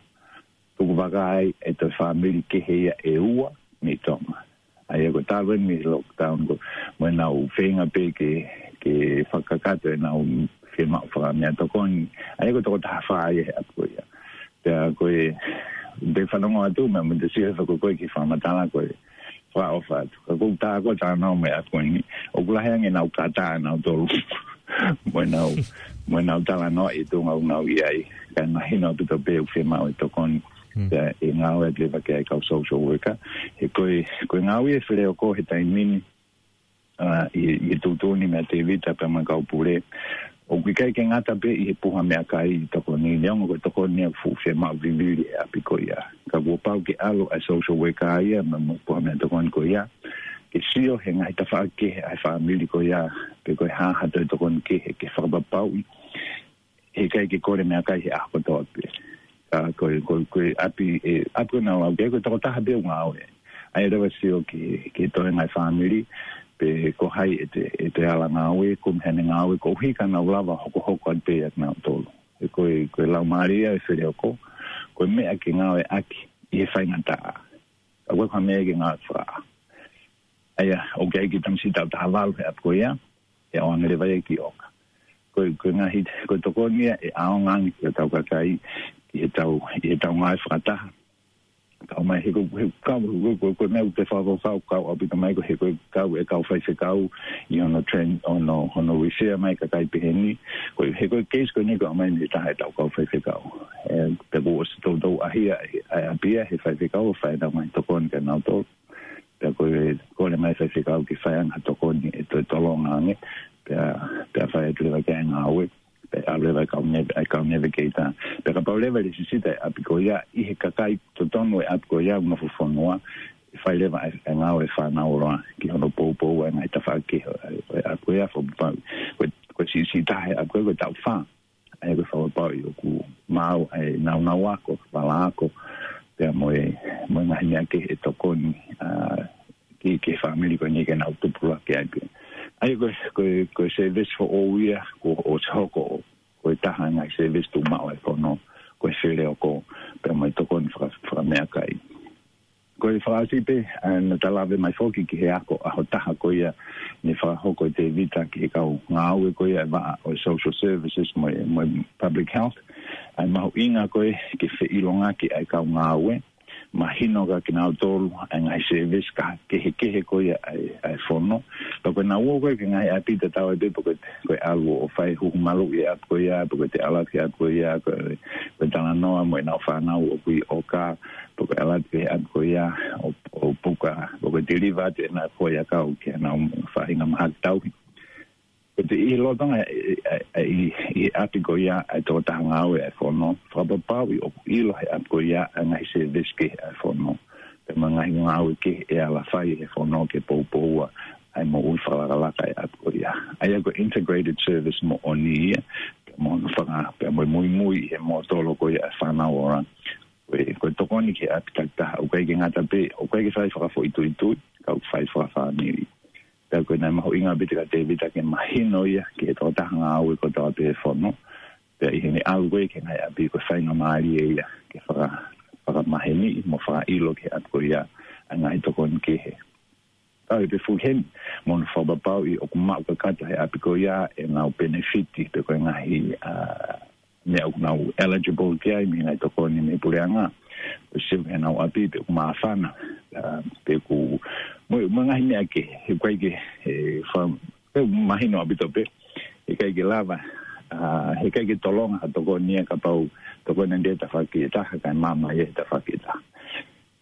Tukuvaka ai e toe fāmili kehe ia ʻe ua mei Tonga. ʻA ia ko e talu eni mei he lockdown ko, mo ʻenau feinga pē ke, ke fakakakato ʻenau fiemaʻu fakameʻatokoni. ʻA ia ko e toko taha fā ia he ʻapi ko ia. Pea ko e, te fanongo atu, mo e, mo e te sio he fakakoi ki he fakamatala ko e, fakaʻofa atu. Ka ʻoku ou tā ko e talanoa mo e ʻapi ko eni, ʻoku lahi ange ʻenau kata ʻanautolu mo ʻenau, mo ʻenau talanoa ʻi he tuʻunga ʻoku nau ʻi ai. Ka mahino ʻaupito pē ʻoku fiemaʻu e tokoni. Pea ʻe ngāueʻaki leva ki ai e kau social worker. He ko e, ko e ngāue e feleoko he taimi ni, ʻa, ʻi, ʻi he tuʻutuʻuni meia Tēvita pea mo e kau pule, ʻoku ʻikai ke ngata pē ʻi he puha meʻakai ʻi he tokoni, neongo ko e tokoni ia ʻoku fuʻu fiemaʻu vivili he ʻapi ko ia. Ka kuo pau ke ʻalu ʻa e social worker ia mo e, mo e puha meʻatokoni ko ia ke sio he ngaahi tafaʻaki kehe ʻa e fāmili ko ia, pe ko e hā ha toe tokoni kehe ke fakapapauʻi he ʻikai ke kole meʻakai he ʻaho kotoa pē. Ka ko e, ko e, ko e ʻapi, e, ʻapi ko ē naʻa ku lau ki ai, ko e tokotaha pē ʻoku ngāue. ʻA ia leva sio ki, ki he toenga e fāmili, pe ko hai ʻe toe, ʻe toe ala ngāue, ko e meʻa ʻene ngāue, koeʻuhi ka nau lava hokohoko atu pē ʻanautolu. He ko e, ko e laumālie ia e feleoko, ko e meʻa ke ngāueʻaki ʻi he faingataʻa. ʻOku ʻikai ko ha meʻa ke ngāue fakaʻaho. ʻA ia, ʻoku ʻi ai e kiʻi tamasiʻi taʻu taha valu he ʻapi ko ia, ʻe ʻoange leva ia ki ʻOka. Ko e, ko e ngaahi, ko e tokoni ia ʻe ʻaonga ange ki hotau kakai, ki heʻetau, ʻi heʻetau ngāue fakataha. Kau mai he ko, he kau, ko, ko, ko e meʻa ʻoku te fakafaufau kau ʻaupito mai ko e he ko e kau e kau faifekau ʻi hono train, hono, hono refer mai kakai pehē ni. Ko e he ko e case ko eni ko e ʻomai mei he taha ʻetau kau faifekau. ʻE, pea kuo ʻosi toutou ʻaʻahi ʻa e, ʻa e ʻapi ia he faifekau ʻo fai ʻenau ngaahi tokoni kia nautolu. Pea ko e kole mai e faifekau ke fai ange ha tokoni ʻe toe tolonga ange, pea, pea fai atu leva ki ai e ngāue, pea ʻalu leva e kau neve, e kau neve keita. Pea kapau leva ʻe lesisita e ʻapi ko ia, ʻi he kakai totonu e ʻapi ko ia, ʻoku nofo fonua, ʻe fai leva e, e ngāue fānau ʻoloa, ki hono poupou e ngaahi tafaʻaki ʻo e, ʻo e ʻapi ko ia, fakapapauʻi ko e, ko e siʻisiʻi taha e ʻapi ko ia, ko e taʻu fā. ʻA ia ko e fakapapauʻi ʻoku maau ʻa e naunau ako, vala ako, pea mo e, mo e ngaahi meʻa kehe ʻe tokoni, ʻa, ki, ki he fāmili ko eni ke nau tupulaki ai pē. ʻA ia ko e, ko e, ko e service foʻou ia, kuo ʻosi hoko ʻo, ko e taha e ngaahi service tuʻumaʻu ʻa e fono, ko e feleoko, pea mo e tokoni faka-, fakameʻakai. Ko e fakaʻosi pē, ʻa, naʻa ta lave mai foki ki he ako ʻaho taha ko ia naʻe fakahoko ʻe Tēvita ki he kau ngāue ko ia e vaʻa ʻo e social services mo e, mo e public health. ʻA e mahuʻinga ko ē ke feʻilongaki ʻa e kau ngāue, mahino kia kinautolu ʻa e ngaahi service kehekehe ko ia ʻa e, ʻa e fono. Pea ko ʻenau ō ko ē ki he ngaahi ʻapi tatau ai pē pe ko e, ko e ʻalu ʻo fai huhu maluʻi e ʻapi ko ia, pe ko e ʻalu ki he ʻapi ko ia, ko e, ko e talanoa mo ʻenau fānau ʻoku ʻi ʻOka, pe ko e ʻalu ki he ʻapi ko ia ʻo, ʻo puka, pe ko e deliver atu ʻenau foʻiʻakau ki heʻenau faʻahinga mahaki tauhi. Ko e ʻi he lolotonga ʻi, ʻi, ʻi, ʻi he ʻapi ko ia ʻa e tokotaha ngāue ʻa e fono, fakapapauʻi ʻoku ʻilo he ʻapi ko ia ʻa e ngaahi service kehe ʻa e fono, pea mo e ngaahi ngāue kehe ʻe ala fai he fono ke poupoua ʻa e moʻui fakalakalaka ʻa e ʻapi ko ia. ʻA ia ko e integrated service moʻoni ia, pea mo hono faka-, pea mo e muimui ʻi he mōtolo ko ia ʻa e fānau ora. Ko e, ko e tokoni ki he ʻapi takitaha, ʻoku ʻikai ke ngata pē, ʻoku ʻikai ke fai fakafoʻituitui, ka ʻoku fai fakafāmili. Pea ko e naʻe mahuʻinga ʻaupito kia Tēvita ke mahino ia ki he tokotaha ngāue kotoa pē he fono. Pea ʻi heʻene ʻalu ko ē ki he ngaahi ʻapi, ko e faingamālie ia ke faka-, fakamaheni mo fakaʻilo ki he ʻapi ko ia ʻa e ngaahi tokoni kehe. Tau ʻi he fuhen, mo hono fakapapauʻi ʻoku maʻu kakato he ʻapi ko ia ʻenau penefiti pe ko e ngaahi, ā, meʻa ʻoku nau eligible ki ai mei he ngaahi tokoni mei he puleʻanga. Ko e sio ki heʻenau ʻapi pe ʻoku māfana, ā, pe ʻoku, mo, mo e ngaahi meʻa kehe, he ʻoku ʻikai ke, he fa-, he mahino ʻaupito pē, he ʻikai ke lava, ā, he ʻikai ke tolonga ha tokoni ia kapau tokoni ʻe taha ki he taha, kae maama ia he taha ki he taha.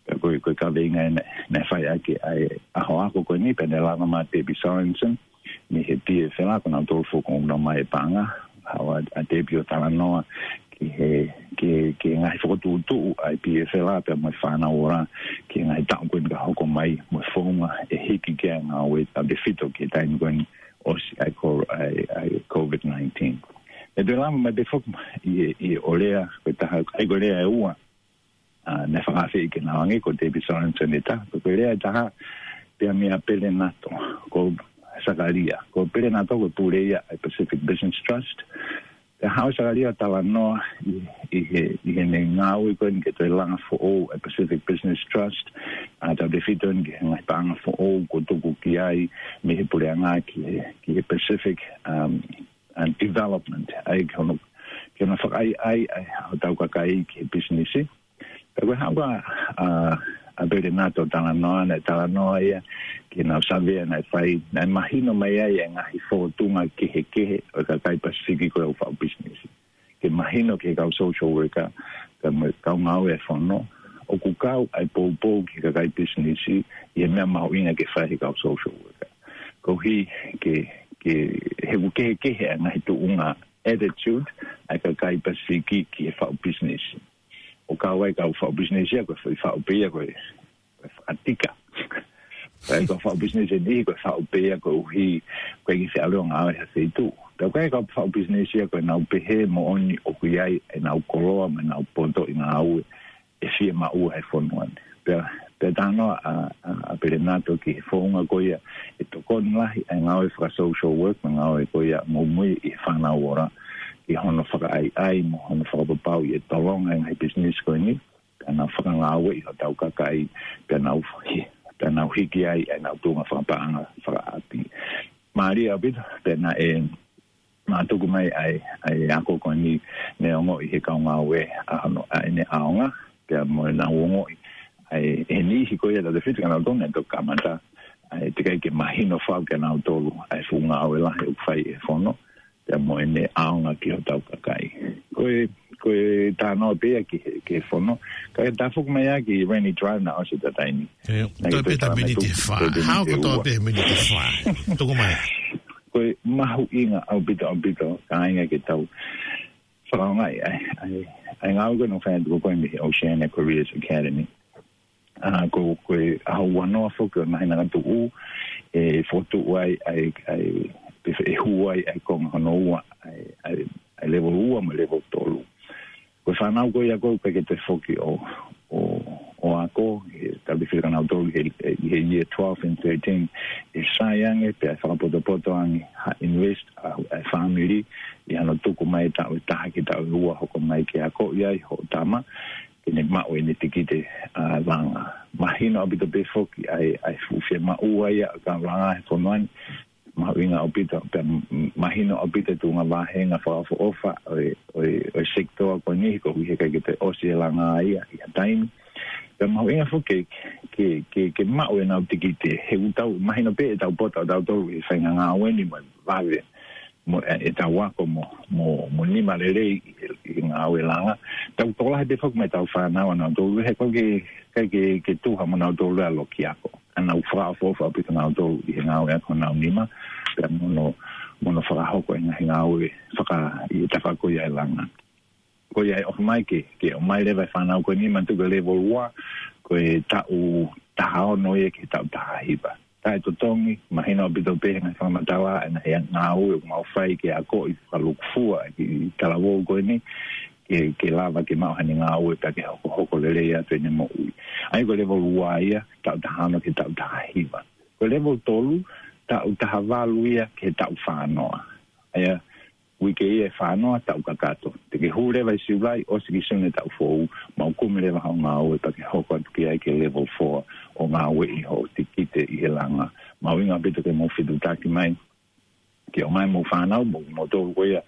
Pea ko e, ko e kaveinga ē naʻe, naʻe fai ʻaki ʻa e ʻaho ako ko eni, pea naʻe lava mai Debbie Sorensen, mei he P F L, ko nautolu foki ʻoku nau ō mai e paʻanga, ʻa, ʻa Debbie ʻo talanoa ki he, ki he, ki he ngaahi fokotuʻutuʻu ʻa e P F L pea mo e fānau ora, ki he ngaahi taʻu ko eni ka hoko mai, mo e founga ʻe hiki ki ai e ngāue tautefito ki he taimi ko eni ʻosi ʻa e ko-, ʻa e, ʻa e COVID nineteen. Pea toe lava mai pē foki ʻi he, ʻi he ʻo lea, ko e taha, ʻa ia ko e lea ʻe ua, ā, naʻe fakaafeʻi ke nau ʻange, ko Debbie Sorensen ʻe taha, ko e lea ʻe taha, pea meia Pele Nato, ko Sakalia. Ko Pele Nato ko e pule ia ʻa e Pacific Business Trust. Pea haʻu Sakalia ʻo talanoa ʻi, ʻi he, ʻi heʻene ngāue ko eni ke toe langa foʻou ʻa e Pacific Business Trust, ā, tautefito eni ki he ngaahi paʻanga foʻou kuo tuku ki ai mei he puleʻanga ki he, ki he Pacific, um, and Development, ʻa ia ki hono, ki hono fakaʻaiʻai ʻa e, ʻa hotau kakai ki he pisinisi. Pea ko e haʻu ʻa, ā, ʻa Pele Nato ʻo talanoa, naʻe talanoa ia ki heʻenau savea naʻe fai, naʻe mahino mai ai e ngaahi fōtunga kehekehe ʻo e kakai Pasifiki ko ē ʻoku faʻu pisinisi. Ke mahino ki he kau social worker, kau, kau ngāue ʻa e fono, ʻoku kau ʻa e poupou ki he kakai pisinisi ʻi he meʻa mahuʻinga ke fai ʻe he kau social worker. Koeʻuhi ke, ke, he ʻoku kehekehe ʻa e ngaahi tuʻunga attitude ʻa e kakai Pasifiki ki he faʻu pisinisi. ʻOku kau ai e kau faʻu pisinisi ia ko e faʻu pē ia ko e, ko e fakatika. Pea ko e faʻu pisinisi ʻe niʻihi ko e faʻu pē ia koeʻuhi ko e kiʻi feʻaluʻanga ʻo e feituʻu. Pea ko e kau faʻu pisinisi ia ko ʻenau pehē moʻoni ʻoku ʻi ai ʻenau koloa mo ʻenau poto ʻi he ngāue ʻe fiemaʻu ʻe he fonua ni. Pea, pea talanoa ʻa, ʻa, ʻa Pele Nato ki he founga ko ia ʻe tokoni lahi ai e ngāue faka-social work mo e ngāue ko ia muimui ʻi he fānau ora, ki hono fakaʻaiʻai mo hono fakapapauʻi ʻe tolonga e ngaahi pisinisi ko eni, pea nau fakangāueʻi hotau kakai, pea nau hi-, pea nau hiki ai ʻenau tuʻunga fakapaʻanga fakaʻapi. Mālie ʻaupito, pea naʻe, naʻe tuku mai ʻa e, ʻa e ako ko eni, naʻe ongoʻi ʻe he kau ngāue ʻa hono, ʻa ʻene ʻaonga, pea mo ʻenau ongoʻi ʻa e, ʻe niʻihi ko ia tautefito kia nautolu naʻe toki kamata, ʻa e teʻeki ai ke mahino fau kia nautolu ʻa e fuʻu ngāue lahi ʻoku fai ʻe he fono, pea mo ʻene ʻaonga ki hotau kakai. Ko e, ko e talanoa pē ia ki he, ki he fono. Kae tafoki mai ʻa e Rainy Drive naʻe ʻosi ʻeta taimi. ʻE, naʻe toe pē ʻeta miniti ʻe fā. Hao kotoa pē miniti ʻe fā. Tuku mai. Ko e mahuʻinga ʻaupito, ʻaupito, kāinga, ke tau fakaʻaongaʻi ʻa e, ʻa e, ʻa e ngāue ko ē naʻe fai atu ko ē mei he Oceania Careers Academy. Ā, ko, ko e ʻaho ua noa foki ʻo e māhina ka tuʻu, ʻe fokotuʻu ai, ʻa e, ʻa e, pe ʻe hū ai ʻa e konga hono ua, ʻa e, ʻa e, ʻa e level ua mo e level tolu. Ko e fānau ko ia ʻoku ʻikai ke toe foki ʻo, ʻo, ʻo ako, ʻe tautefito kia nautolu he, ʻi he year twelve and thirteen, ʻe sai ange, pea ʻe fakapotopoto ange ha invest ʻa, ʻa e fāmili, ʻi hano tuku mai taʻu ʻe taha ki he taʻu ʻe ua hoko mai ke akoʻi ai hoʻo tama, ke ne maʻu ʻene tikite, ā, langa. Mahino ʻaupito pē foki ʻa e, ʻa e fuʻu fiemaʻu ia ʻa e kau langa he fonua ni. Mahuʻinga ʻaupito, pea m-, mahino ʻaupito e tuʻunga vāhenga fakaʻofoʻofa ʻo e, ʻo e, ʻo e sekitoa ko eni, koeʻuhi he ʻikai ke toe ʻosi e langa ia ʻi ha taimi. Pea mahuʻinga foki ke, ke, ke, ke maʻu ʻenau tikite, he ʻoku tau mahino pē ʻetau poto ʻatautolu ʻi he faʻahinga ngāue ni mo e vave, mo e, ʻetau ako mo, mo, mo nima lelei ʻi he, ʻi he ngāue langa. Tau tokolahi pē foki mo ʻetau fānau ʻanautolu, he ʻoku ʻikai ke, ʻikai ke, ke tuha mo nautolu ʻa e loki ako. Ka nau fakaʻofoʻofa ʻaupito nautolu ʻi he ngāue ako honau nima, pea mo hono, mo hono fakahoko e ngaahi ngāue faka, ʻi he tafaʻaki ko ia e langa. Ko ia ʻe ʻofa mai ke, ke ʻomai leva e fānau ko eni, manatuʻi ko e level ua, ko e taʻu taha ono ia ki he taʻu taha hiva. Taʻetotongi, mahino ʻaupito pē he ngaahi fakamatala, e ngaahi ngāue ʻoku mau fai ke akoʻi fakalūkufua e talavou ko eni, ke, ke lava ke maʻu haʻane ngāue pea ke hokohoko lelei atu ʻene moʻui. ʻA ia ko e level ua ia, taʻu taha ono ki he taʻu taha hiva. Ko e level tolu, taʻu taha valu ia ki he taʻu fā noa. ʻA ia, uike ia ʻe fā noa taʻu kakato. Te ke hū leva ʻi Siulai, ʻosi ki Sune taʻu foʻou, mau kumi leva haʻo ngāue pea ke hoko atu ki ai ki he level four ʻo ngāueʻi hoʻo tikite ʻi he langa. Mahuʻinga ʻaupito ke mou fetuʻutaki mai, ke ʻomai homou fānau, mo, moutolu ko ia,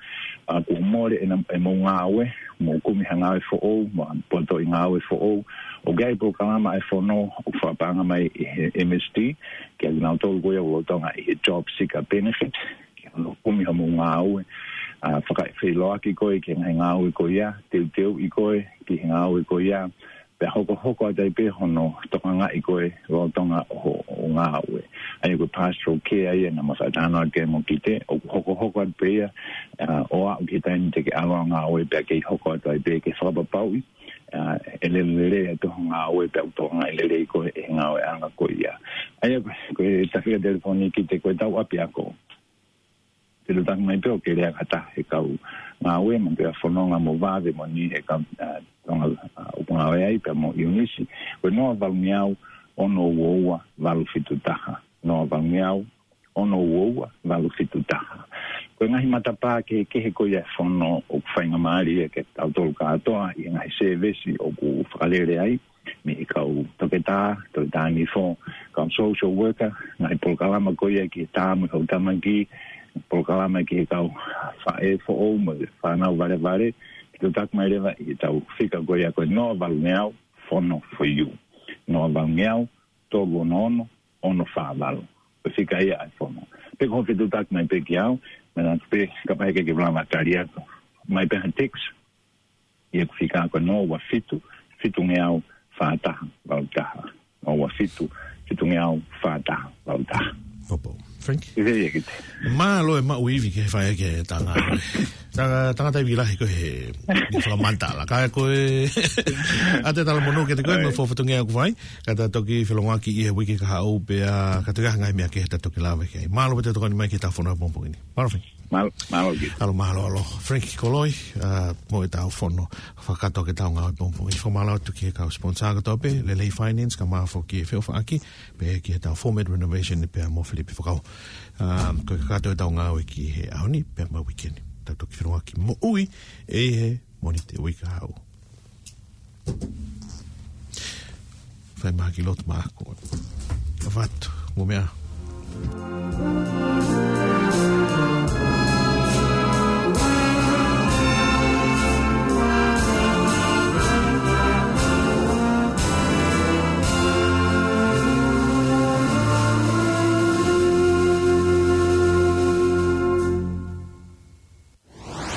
ʻa, kuo mole ʻena, ʻemau ngāue, mou kumi ha ngāue foʻou, mo ha potoʻi ngāue foʻou. ʻOku ʻi ai e polokalama ʻa e fono, ʻoku fakapaʻanga mai ʻe he M S D, kiate kinautolu ko ia ʻoku lolotonga ʻi he job seeker benefit, ke nau kumi homou ngāue, ʻa, fakafeʻiloaki koe ki he ngaahi ngāue ko ia, teuteuʻi koe ki he ngāue ko ia, pea hokohoko atu ai pē hono tokangaʻi koe lolotonga hoʻo, hoʻo ngāue. ʻA ia ko e pastoral care ia naʻa ma faʻa talanoa ki ai mo Kite, ʻoku hokohoko atu pē ia, ʻa, ʻo aʻu ki he taimi te ke ʻalu ʻo ngāue pea kei hoko atu ai pē ke fakapapauʻi, ʻa, ʻe lele lelei atu hoʻo ngāue pea ʻoku tokangaʻi lelei koe ʻe he ngāueʻanga ko ia. ʻA ia ko, ko e tafaʻaki telefoni Kite ko e tau ʻapiako. Fetuʻutaki mai pē ʻo ke lea ki ha taha he kau ngāue, manatuʻi ʻa Fononga mo Vave mo Ni he kau, ʻa, Tonga, ʻa, ʻoku ngāue ai pea mo ʻIunisi. Ko e noa valungeau ono ua ua valu fitu taha. Noa valungeau ono ua ua valu fitu taha. Ko e ngaahi matapā kehekehe ko ia e fono ʻoku faingamālie kiate kitautolu kātoa ʻi he ngaahi sēvesi ʻoku fakalele ai, mei he kau toketā, toketā nifo, kau social worker, ngaahi polokalama ko ia ki he tā mo e houʻeiki tamaki, polokalama ki he kau faʻē foʻou mo e fānau valevale, fetuʻutaki mai leva ʻi he tau fika ko ia ko e noa valungeau, fono for you. Noa valungeau, tolu ono ono, ono fā valu. Ko e fika ia ʻa e fono. Pe ko e fetuʻutaki mai pē kiate au, manatuʻi pē kapau heʻikai ke u lava tali atu, mai pē ha text, ʻi heʻeku fika ko e noa ua fitu, fitungeau fā taha valu taha. Noa ua fitu, fitungeau fā taha valu taha. Popo. Frank? ʻIo, ʻio, Kite. Mālō e maʻu ivi ke fai ke tanga. Tanga, tangata ivi lahi ko e he, he fakamatala. Ka ko e, ʻa e talamonū kiate koe, ʻio, mo e fatongia ʻoku fai. Ka ta toki felongoaki ʻi he uike kahaʻu pea, ka toki ʻi ai ha ngaahi meʻa kehe ta toki lave ki ai. Mālō pē hoʻo tokoni mai ki heʻetau fono he pongipongi ni. Mālō, Frank. Mālō, mālō, Kite. Mālō, mālō, ʻalo. Frank Koloi, ʻa, mo ʻetau fono fakakātoa ki heʻetau ngāue pongipongi. Fakamālō atu ki he kau sponsor kātoa pē, Lelei Finance, kae ʻumaʻā foki e feʻofaʻaki, pea ki heʻetau Format Renovation pea mo Filipe Fakau. ʻA, ko e kakato ʻetau ngāue ki he ʻaho ni, pea mo e uike ni. Ta toki felongoaki moʻui, ʻi he Mōnite uike kahaʻu. Fai mai ha kiʻi lotu maʻaku. Ka fatu, mo meʻa.